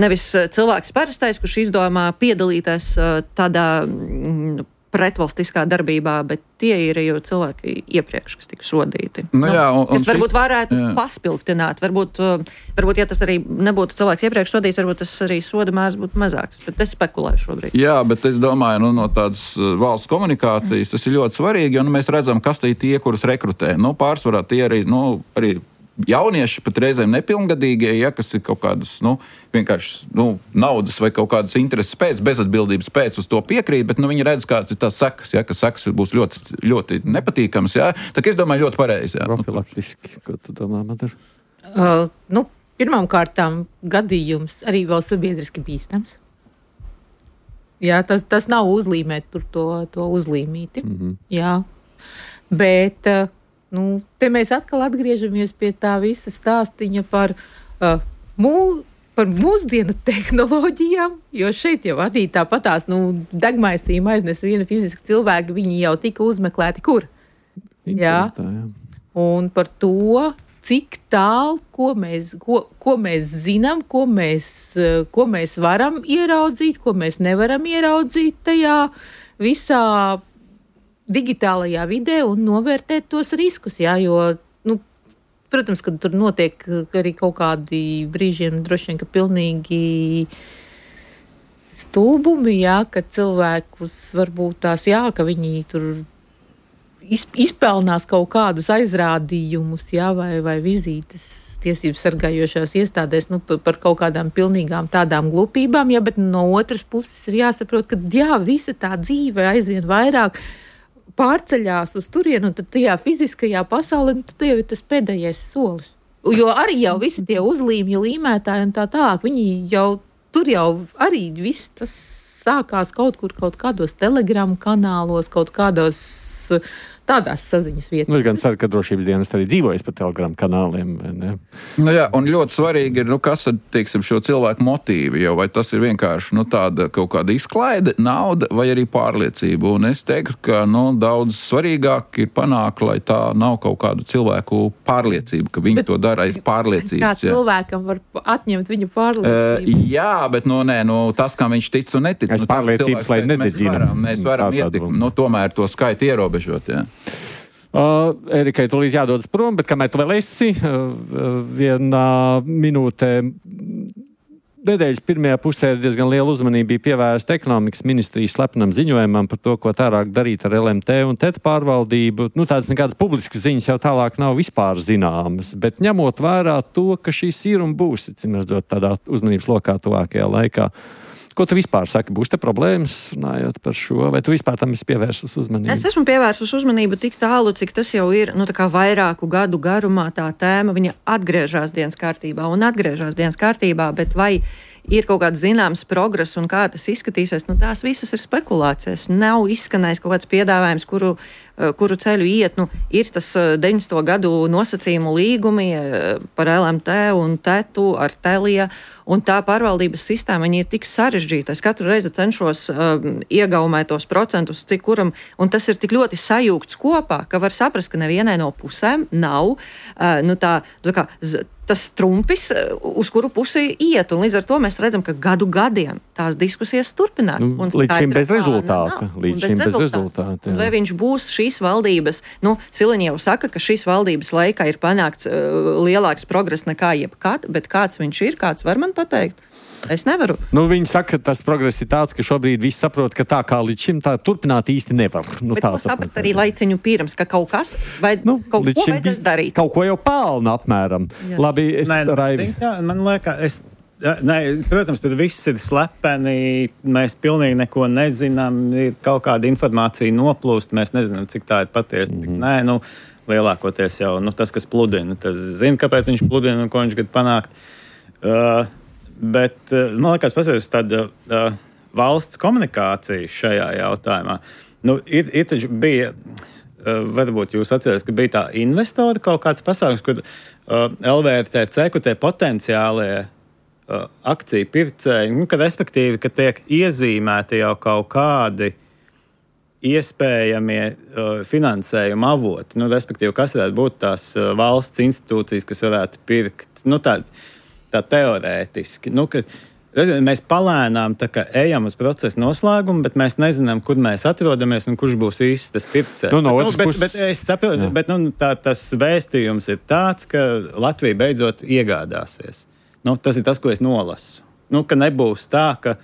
[SPEAKER 3] nevis cilvēks parastais, kurš izdomā piedalīties tādā pretvalstiskā darbībā, bet tie ir jau cilvēki iepriekš, kas tika sodīti.
[SPEAKER 6] Nu, jā, un, un
[SPEAKER 3] kas varbūt varētu
[SPEAKER 6] jā.
[SPEAKER 3] paspilgtināt. Varbūt, varbūt, ja tas arī nebūtu cilvēks iepriekš sodīts, varbūt tas arī soda mērs būtu mazāks. Bet es spekulēju šobrīd.
[SPEAKER 6] Jā, bet es domāju, nu, no tādas valsts komunikācijas tas ir ļoti svarīgi, jo nu, mēs redzam, kas tie tie, kurus rekrutē. Nu, pārsvarā tie arī, nu, arī jaunieši, pat reizēm nepilngadīgie, ja, kas ir kaut kādas, nu, vienkārši, nu, naudas vai kaut kādas intereses pēc, bezatbildības pēc uz to piekrīt, bet, nu, viņi redz, kāds ir tās sekas, ja, ka sekas būs ļoti, ļoti nepatīkams, ja. Tā kā es domāju, ļoti pareizi, ja.
[SPEAKER 2] Profilaktiski, ko tu domā, Madara?
[SPEAKER 5] Uh, nu, pirmām kārtām gadījums arī vēl sabiedriski bīstams. Jā, tas, tas nav uzlīmēt tur to, to uzlīmīti, mm-hmm. jā, bet... Uh, Nu, te mēs atkal atgriežamies pie tā visa stāstiņa par, uh, mū, par mūsdienu tehnoloģijām, jo šeit jau arī tāpatās, nu, degmaisījuma aiznes viena fiziska cilvēka, viņi jau tika uzmeklēti kur? Jā. jā. Un par to, cik tālu, ko mēs, ko, ko mēs zinām, ko mēs, ko mēs varam ieraudzīt, ko mēs nevaram ieraudzīt tajā visā digitālajā vidē un novērtēt tos riskus, jā, jo, nu, protams, ka tur notiek arī kaut kādi brīžiem droši vien, ka pilnīgi stulbumi, jā, ka cilvēkus varbūt tās, jā, ka viņi tur izpelnās kaut kādus aizrādījumus, jā, vai, vai vizītes tiesības sargājošās iestādēs, nu, par kaut kādām pilnīgām tādām glupībām, jā, bet no otras puses ir jāsaprot, ka, jā, visa tā dzīve aizvien vairāk pārceļās uz turienu, un tad tajā fiziskajā pasaulē, tad jau ir tas pēdējais solis. Jo arī jau visi tie uzlīmju līmētāji un tā tālāk, viņi jau, tur jau arī viss tas sākās kaut kur, kaut kādos telegramu kanālos, kaut kādos tādās saziņas vietās.
[SPEAKER 2] Nu, es gan ceru, ka drošības dienas arī dzīvojas pa telegramu kanāliem.
[SPEAKER 6] Nu jā, un ļoti svarīgi ir, nu, kas tad, teiksim, šo cilvēku motīvi, jo vai tas ir vienkārši, nu, tāda kaut kāda izklaide, nauda vai arī pārliecība. Un es teiktu, ka, nu, daudz svarīgāk ir panākt, lai tā nav kaut kādu cilvēku pārliecība, ka viņi bet, to dara aiz pārliecības.
[SPEAKER 5] Kā cilvēkam var atņemt viņu pārliecību?
[SPEAKER 6] Uh, jā, bet, nu, nē, nu, tas, kā viņš tic un netic.
[SPEAKER 2] Es
[SPEAKER 6] nu,
[SPEAKER 2] pārliecības, lai nededzina.
[SPEAKER 6] Mēs varam, mēs varam ietikt, nu, tomēr to skaitu ierobežot, jā.
[SPEAKER 2] Uh, Erikai, tūlīt jādodas prom, bet kamēr tu vēl esi, uh, vienā minūtē nedēļas pirmajā pusē diezgan liela uzmanība bija pievērsta ekonomikas ministrijas slepenam ziņojumam par to, ko tālāk darīt ar L M T un T E T pārvaldību. Nu, tādas nekādas publiskas ziņas jau tālāk nav vispār zināmas, bet ņemot vērā to, ka šīs ir un būs, cim redzot, tādā uzmanības lokā tuvākajā laikā. Ko tu vispār saki? Būs te problēmas, runājot par šo, vai tu vispār tam esi pievērsus uzmanību?
[SPEAKER 3] Es esmu pievērsus uzmanību tik tālu, cik tas jau ir, nu, tā kā vairāku gadu garumā tā tēma, viņa atgriežas dienas kārtībā un atgriežas dienas kārtībā, bet vai ir kaut kāds zināms progress un kā tas izskatīsies, nu tās visas ir spekulācijas. Nav izskanējis kaut kāds piedāvājums, kuru, kuru ceļu iet. Nu, ir tas deviņdesmito gadu nosacījumu līgumi par L M T un T E T ar Telia, un tā pārvaldības sistēma, viņi ir tik sarežģīta. Es katru reizi cenšos uh, iegaumēt tos procentus, cik kuram, un tas ir tik ļoti sajūgts kopā, ka var saprast, ka nevienai no pusēm nav uh, nu tā, tā kā, z, tas trumpis, uz kuru pusi iet, un līdz ar to mēs redzam, ka gadu gadiem tās diskusijas turpinās.
[SPEAKER 2] Nu, līdz šim bez rezultāta. Līdz šim bez rezultāta.
[SPEAKER 3] Vai viņš būs šīs valdības, nu, Siliņa jau saka, ka šīs valdības laikā ir panākts uh, lielāks progress nekā jebkad, bet kāds viņš ir, kāds var man pateikt? Es nevaru.
[SPEAKER 2] Nu, viņi saka, ka tas progress ir tāds, ka šobrīd viss saprot, ka tā kā līdz šim tā turpināt īsti nevar. Nu,
[SPEAKER 3] bet to saprat arī laiciņu pirms, ka kaut kas, vai
[SPEAKER 2] nu,
[SPEAKER 3] kaut ko vajadzēs darīt.
[SPEAKER 2] Kaut ko jau pelna apmēram. Jā. Labi, es
[SPEAKER 4] Nē,
[SPEAKER 2] Raivi.
[SPEAKER 4] Jā, man liekas, es, ne, protams, tur viss ir slepeni, mēs pilnīgi neko nezinām, ir kaut kāda informācija noplūst, mēs nezinām, cik tā ir patiesa. Mm-hmm. Nē, nu, lielākoties jau nu, tas, kas pludina, tas zina, kāpēc viņš pludina un ko viņš grib panākt. Uh, Bet, man liekas, paskatās tāda uh, valsts komunikācija šajā jautājumā. Nu, ir, ir taču bija, uh, varbūt jūs atceries, ka bija tā investora kaut kāds pasākums, kur uh, L V R T C, kur tie potenciālie uh, akciju pircēji, nu, ka respektīvi, ka tiek iezīmēti jau kaut kādi iespējamie uh, finansējuma avoti. Nu, respektīvi, kas varētu būt tās uh, valsts institūcijas, kas varētu pirkt, nu, tādi, tā teorētiski. Nu, ka, mēs palēnām tā kā ejam uz procesa noslēgumu, bet mēs nezinām, kur mēs atrodamies un kurš būs īsti tas pircējs.
[SPEAKER 2] Nu, no
[SPEAKER 4] bet, nu, bet,
[SPEAKER 2] puses...
[SPEAKER 4] bet es saprotu, bet nu, tā, tas vēstījums ir tāds, ka Latvija beidzot iegādāsies. Nu, tas ir tas, ko es nolasu. Nu, ka nebūs tā, ka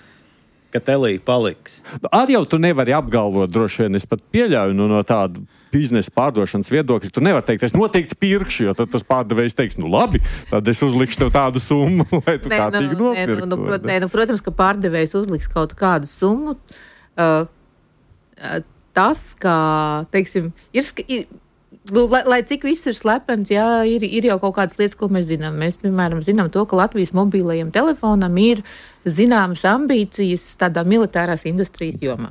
[SPEAKER 4] ka telī paliks.
[SPEAKER 2] Arī jau tu nevari apgalvot, droši vien es pat pieļauju nu, no tādu biznesa pārdošanas viedokļa. Tu nevari teikt, es noteikti pirkšu, jo tad tas pārdevējs teiks, nu labi, tad es uzlikšu tev tādu summu, lai tu nē, kārtīgi nu, nopirktu.
[SPEAKER 5] Nē, nu, prot, nē, nu, protams, ka pārdevējs uzliks kaut kādu summu. Uh, tas, kā, teiksim, ir... ir Nu, lai, lai cik viss ir slepens, jā, ir, ir jau kaut kādas lietas, ko mēs zinām. Mēs, piemēram, zinām to, ka Latvijas mobilajam telefonam ir zināmas ambīcijas tādā militārās industrijas jomā.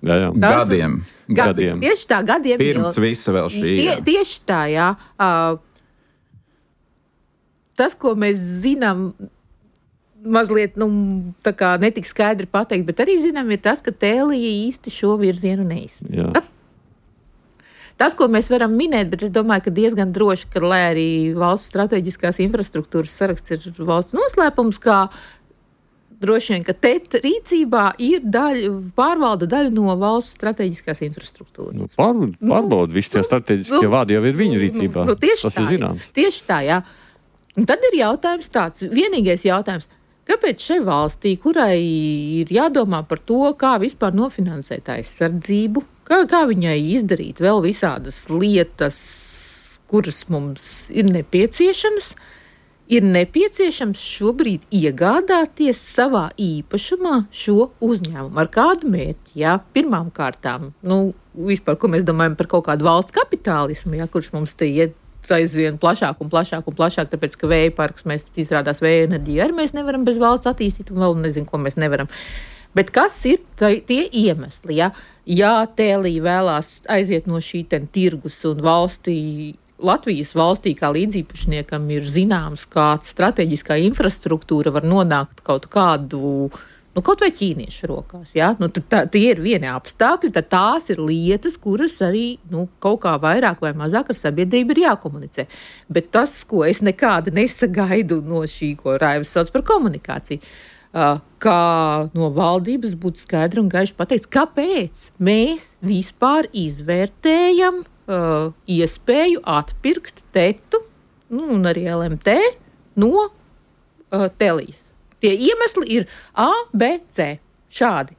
[SPEAKER 2] Jā, jā.
[SPEAKER 5] Tas,
[SPEAKER 6] gadiem.
[SPEAKER 5] gadiem. Tieši tā, gadiem.
[SPEAKER 6] Pirms jau, visa vēl šī.
[SPEAKER 5] Tie, tieši tā, jā. Uh, tas, ko mēs zinām, mazliet, nu, tā kā netik skaidri pateikt, bet arī zinām, ir tas, ka Tēlija īsti šo virzienu neizsaka. Tas, ko mēs varam minēt, bet es domāju, ka diezgan droši, ka, lai arī valsts strateģiskās infrastruktūras saraksts ir valsts noslēpums, kā droši vien, ka T E T rīcībā ir daļa, pārvalda daļa no valsts strateģiskās infrastruktūras.
[SPEAKER 2] Nu, pār, pārbauda, nu, visi tie strateģiskie nu, vārdi jau ir viņu rīcībā. Nu,
[SPEAKER 5] tieši
[SPEAKER 2] tas
[SPEAKER 5] tā,
[SPEAKER 2] ir zināms.
[SPEAKER 5] Tieši tā, jā. Un tad ir jautājums tāds, vienīgais jautājums, kāpēc šai valstī, kurai ir jādomā par to, kā vispār nofinansēt aizsardzību, kā, kā viņai izdarīt vēl visādas lietas, kuras mums ir nepieciešamas, ir nepieciešams šobrīd iegādāties savā īpašumā šo uzņēmumu. Ar kādu mērķi? Jā, pirmām kārtām, nu, vispār, ko mēs domājam par kaut kādu valsts kapitālismu, jā, kurš mums te iet aizvien plašāk un plašāk un plašāk, tāpēc, ka vēja parks mēs izrādās vēja enerģiju arī mēs nevaram bez valsts attīstīt un vēl nezinu, ko mēs nevaram. Bet kas ir tie iemesli? Ja, ja Tēlī vēlās aiziet no šī ten tirgus un valstī, Latvijas valstī kā līdzīpašniekam ir zināms, kā strateģiskā infrastruktūra var nonākt kaut kādu, nu, kaut vai ķīniešu rokās, ja? Nu, tad tā, tie ir vieni apstākļi, tad tās ir lietas, kuras arī, nu, kaut kā vairāk vai mazāk ar sabiedrību ir jākomunicē. Bet tas, ko es nekāda nesagaidu no šī, ko Raivs sauc par komunikāciju, kā no valdības būtu skaidri un gaiši pateikts, kāpēc mēs vispār izvērtējam uh, iespēju atpirkt tetu, nu, un arī L M T no uh, Telijas. Tie iemesli ir A, B, C. Šādi.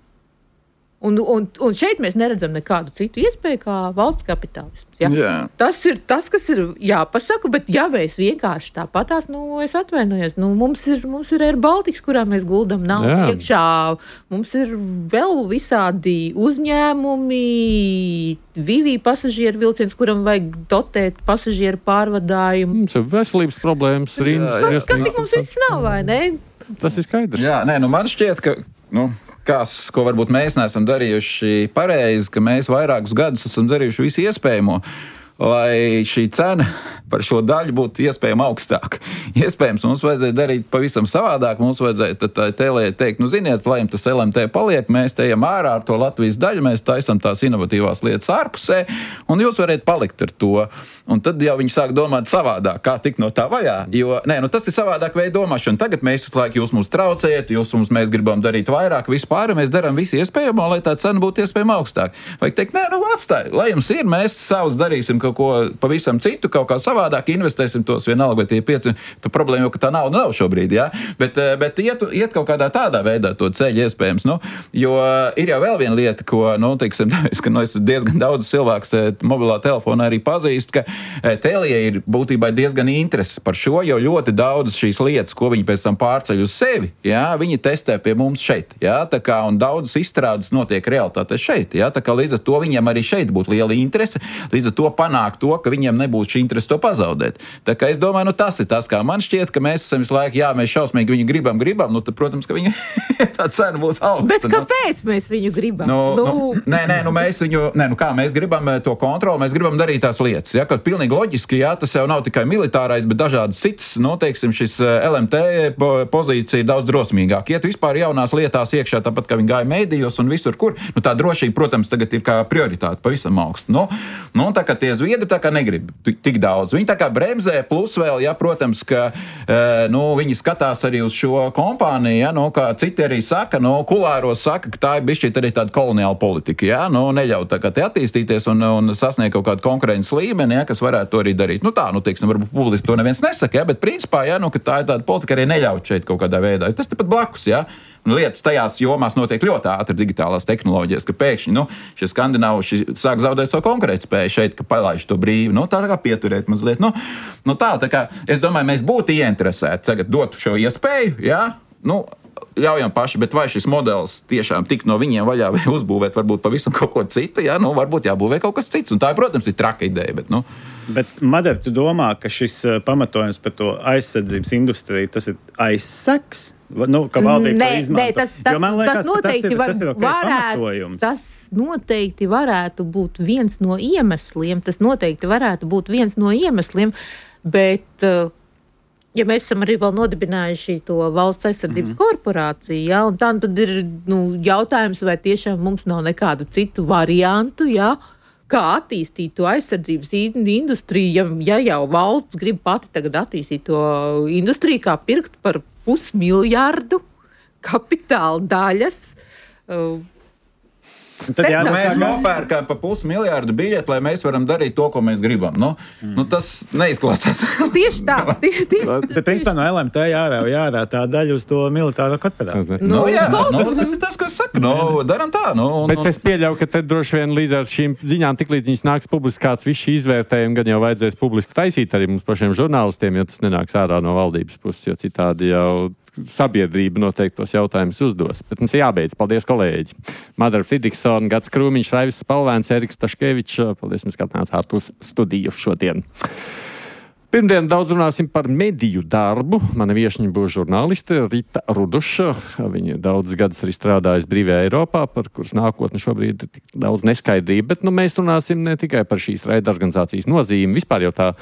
[SPEAKER 5] Un, un, un šeit mēs neredzam nekādu citu iespēju kā valsts kapitālisms. Ja?
[SPEAKER 6] Jā.
[SPEAKER 5] Tas ir tas, kas ir jāpasaka, bet ja mēs vienkārši tāpatās, nu, es atvainojos, nu, mums ir, mums ir Air Baltics, kurā mēs guldam naudu iekšā, mums ir vēl visādi uzņēmumi, Vivi pasažieru vilciens, kuram vajag dotēt pasažieru pārvadājumu.
[SPEAKER 2] Mums ir veselības problēmas, rindas.
[SPEAKER 5] Kas tik mums viss nav, vai ne?
[SPEAKER 2] Tas ir skaidrs.
[SPEAKER 6] Jā, nē, nu man šķiet, ka, nu, kas, ko varbūt mēs neesam darījuši pareizi, ka mēs vairākus gadus esam darījuši visu iespējamo, lai šī cena par šo daļu būtu iespējami augstāka. Iespējams, mums vajadzēja darīt pavisam savādāk, mums vajadzēja tad Tēlē teikt, nu ziniet, lai jums tas L M T paliek, mēs te ejam ārā ar to Latvijas daļu, mēs taisam tās inovatīvās lietas ārpusē, un jūs variet palikt ar to. Un tad jau viņi sāk domāt savādāk, kā tikt no tā vajā, jo, nē, nu tas ir savādāk veidu domāšana. Tagad mēs visu laiku jūs mums traucējat, jūs mums mēs gribam darīt vairāk, vispār mēs darām visu iespējamo, lai tā cena būtu iespējami augstāk. Vajag teikt, nē, nu atstāj, lai jums ir, mēs savus darīsim kaut ko pavisam citu, kaut kā savādāk, investēsim tos vienalga, vai tie pieci, tā problēma jau, ka tā nauda nav šobrīd, jā, bet, bet iet, iet kaut kādā tādā veidā to ceļu iespējams, nu, jo ir jau vēl viena lieta, ko, nu, teiksim, ka, nu, es diezgan daudz cilvēks te, mobilā telefonā arī pazīst, ka Tēlijai ir būtībā diezgan interesi par šo, jo ļoti daudz šīs lietas, ko viņi pēc tam pārceļ uz sevi, jā, viņi testē pie mums šeit, jā, tā kā, un daudzas izstrādes notiek realitātē šeit, jā, tā kā līdz ar to viņiem arī šeit būtu liela interese, līdz ar to panākt to, ka viņiem nebūs šī interese to pazaudēt. Tā kā es domāju, nu tas ir tas, kā man šķiet, ka mēs esam visu laiku, jā, mēs šausmīgi viņu gribam, gribam, nu tad, protams, ka viņa tā cena būs augsta.
[SPEAKER 5] Bet kāpēc nu? Mēs viņu gribam?
[SPEAKER 6] Nu,
[SPEAKER 5] nu...
[SPEAKER 6] Nu, nē, nē, nu mēs viņu, nē, nu kā mēs gribam to kontroli, mēs gribam darīt tās lietas, jā, kad pilnīgi loģiski, jā, tas jau nav tikai militārais, bet dažādas citas, nu, teiksim, šis L M T pozīcija ir daudz drosmīgāk. Iet vispār jaunās lietās iekšā, tāpat, kā viņi gāja mēdījos un visur, kur, nu tā drošība, protams, tagad ir kā prioritāte pavisam augsta. Nu, nu, tā kā tie zviedri tā kā negrib tik daudz. Viņi tā kā bremzē, plus vēl, ja, protams, ka nu, viņi skatās arī uz šo kompāniju, ja, nu, kā citi arī saka, nu, kulāros saka, ka tā ir bišķīt arī tāda koloniāla politika, ja, nu, neļaut tā kā te attīstīties un, un sasniegt kaut kādu konkurences līmeni, ja, kas varētu to arī darīt. Nu tā, nu, teiksim, varbūt publiski to neviens nesaka, ja, bet principā, ja, nu, ka tā ir tāda politika arī neļaut šeit kaut kādā veidā. Tas tepat blakus, ja. Un lietas tajās jomās notiek ļoti ātri digitālās tehnoloģijas, ka pēkšņi, nu, šie skandināvuši sāk zaudēt savu konkurētspēju šeit, ka palaiž to brīvi, nu, tā kā pieturēt mazliet, nu, nu tā, tā kā, es domāju, mēs būtu ieinteresēti tagad dot šo iespēju, jā, nu, ļaujam paši, bet vai šis modelis tiešām tik no viņiem vaļā vai uzbūvēt varbūt pavisam kaut ko citu, jā, nu, varbūt jābūvē kaut kas cits, un tā, protams, ir traka ideja, bet, nu.
[SPEAKER 4] Bet, Madara, tu domā, ka šis pamatojums par to aizsardzības industriju, tas ir aizseks? Nu, ka valdība
[SPEAKER 5] nē,
[SPEAKER 4] to izmanto.
[SPEAKER 5] Nē, tas, tas,
[SPEAKER 4] liekas,
[SPEAKER 5] tas noteikti
[SPEAKER 4] tas ir,
[SPEAKER 5] var,
[SPEAKER 4] tas ir okay
[SPEAKER 5] varētu, tas noteikti varētu būt viens no iemesliem, tas noteikti varētu būt viens no iemesliem, bet, ja mēs esam arī vēl nodibinājuši to valsts aizsardzības mm-hmm. korporāciju, ja, un tā, tad ir, nu, jautājums, vai tiešām mums nav nekādu citu variantu, ja, kā attīstīt to aizsardzības industriju, ja, ja jau valsts grib pati tagad attīstīt to industriju, kā pirkt par pusmiljārdu kapitāla daļas. Uh,
[SPEAKER 6] Tad jā, nu, mēs nopērkam pa pusmiljārdu biļeti, lai mēs varam darīt to, ko mēs gribam. Nu, mm. nu, tas neizklausās.
[SPEAKER 5] Tieši tā. Tie, tie,
[SPEAKER 4] Bet, principā, no L M T jārā, jārā tā daļa uz to militāro korporāciju.
[SPEAKER 6] Nu, nu, jā, nu, tas ir tas, ko es saku. Nu, daram tā. Nu, un,
[SPEAKER 2] Bet es pieļauju, ka te droši vien līdz ar šīm ziņām, tik līdz viņas nāks publiskāts, viss šī izvērtējuma gan jau vajadzēs publiski taisīt arī mums pašiem žurnālistiem, jo tas nenāks ārā no valdības puses, jo citādi jau sabiedrība noteikti tos jautājumus uzdos. Bet mums ir jābeidz. Paldies, kolēģi. Madara Fridriksona, Gats Krūmiņš, Raivis Spalvēns, Eriks Taškevičs. Paldies, mēs skatījāmies ārpus studiju šodien. Pirmdien daudz runāsim par mediju darbu. Mana viešņa būs žurnāliste Rita Ruduša. Viņa daudz gadus arī strādājas brīvajā Eiropā, par kuras nākotni šobrīd ir tik daudz neskaidrība. Bet nu, mēs runāsim ne tikai par šīs raidorganizācijas nozīmi. Vispār jau tā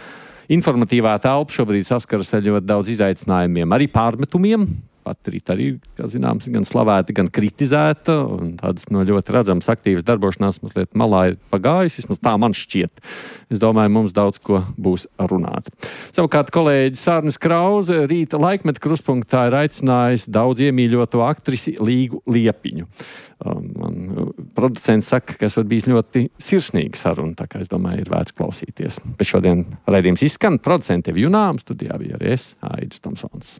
[SPEAKER 2] informatīvā telpa šobrīd saskaras ar ļoti daudz izaicinājumiem, arī pārmetumiem. Pat Rita arī, kā zināms, gan slavēta, gan kritizēta, un tādas no ļoti redzamas aktīvas darbošanās mazliet malā ir pagājis, vismaz tā man šķiet. Es domāju, mums daudz ko būs runāt. Savukārt kolēģis Sārnis Krauze rīta laikmeta kruspunktā ir aicinājis daudz iemīļoto aktrisi Līgu Liepiņu. Man producents saka, ka es varu bijis ļoti sirsnīga saruna, tā kā es domāju, ir vērts klausīties. Bet šodien raidījums izskan, producenti Evi Junām, studijā bija arī es, Aidis Tomsons.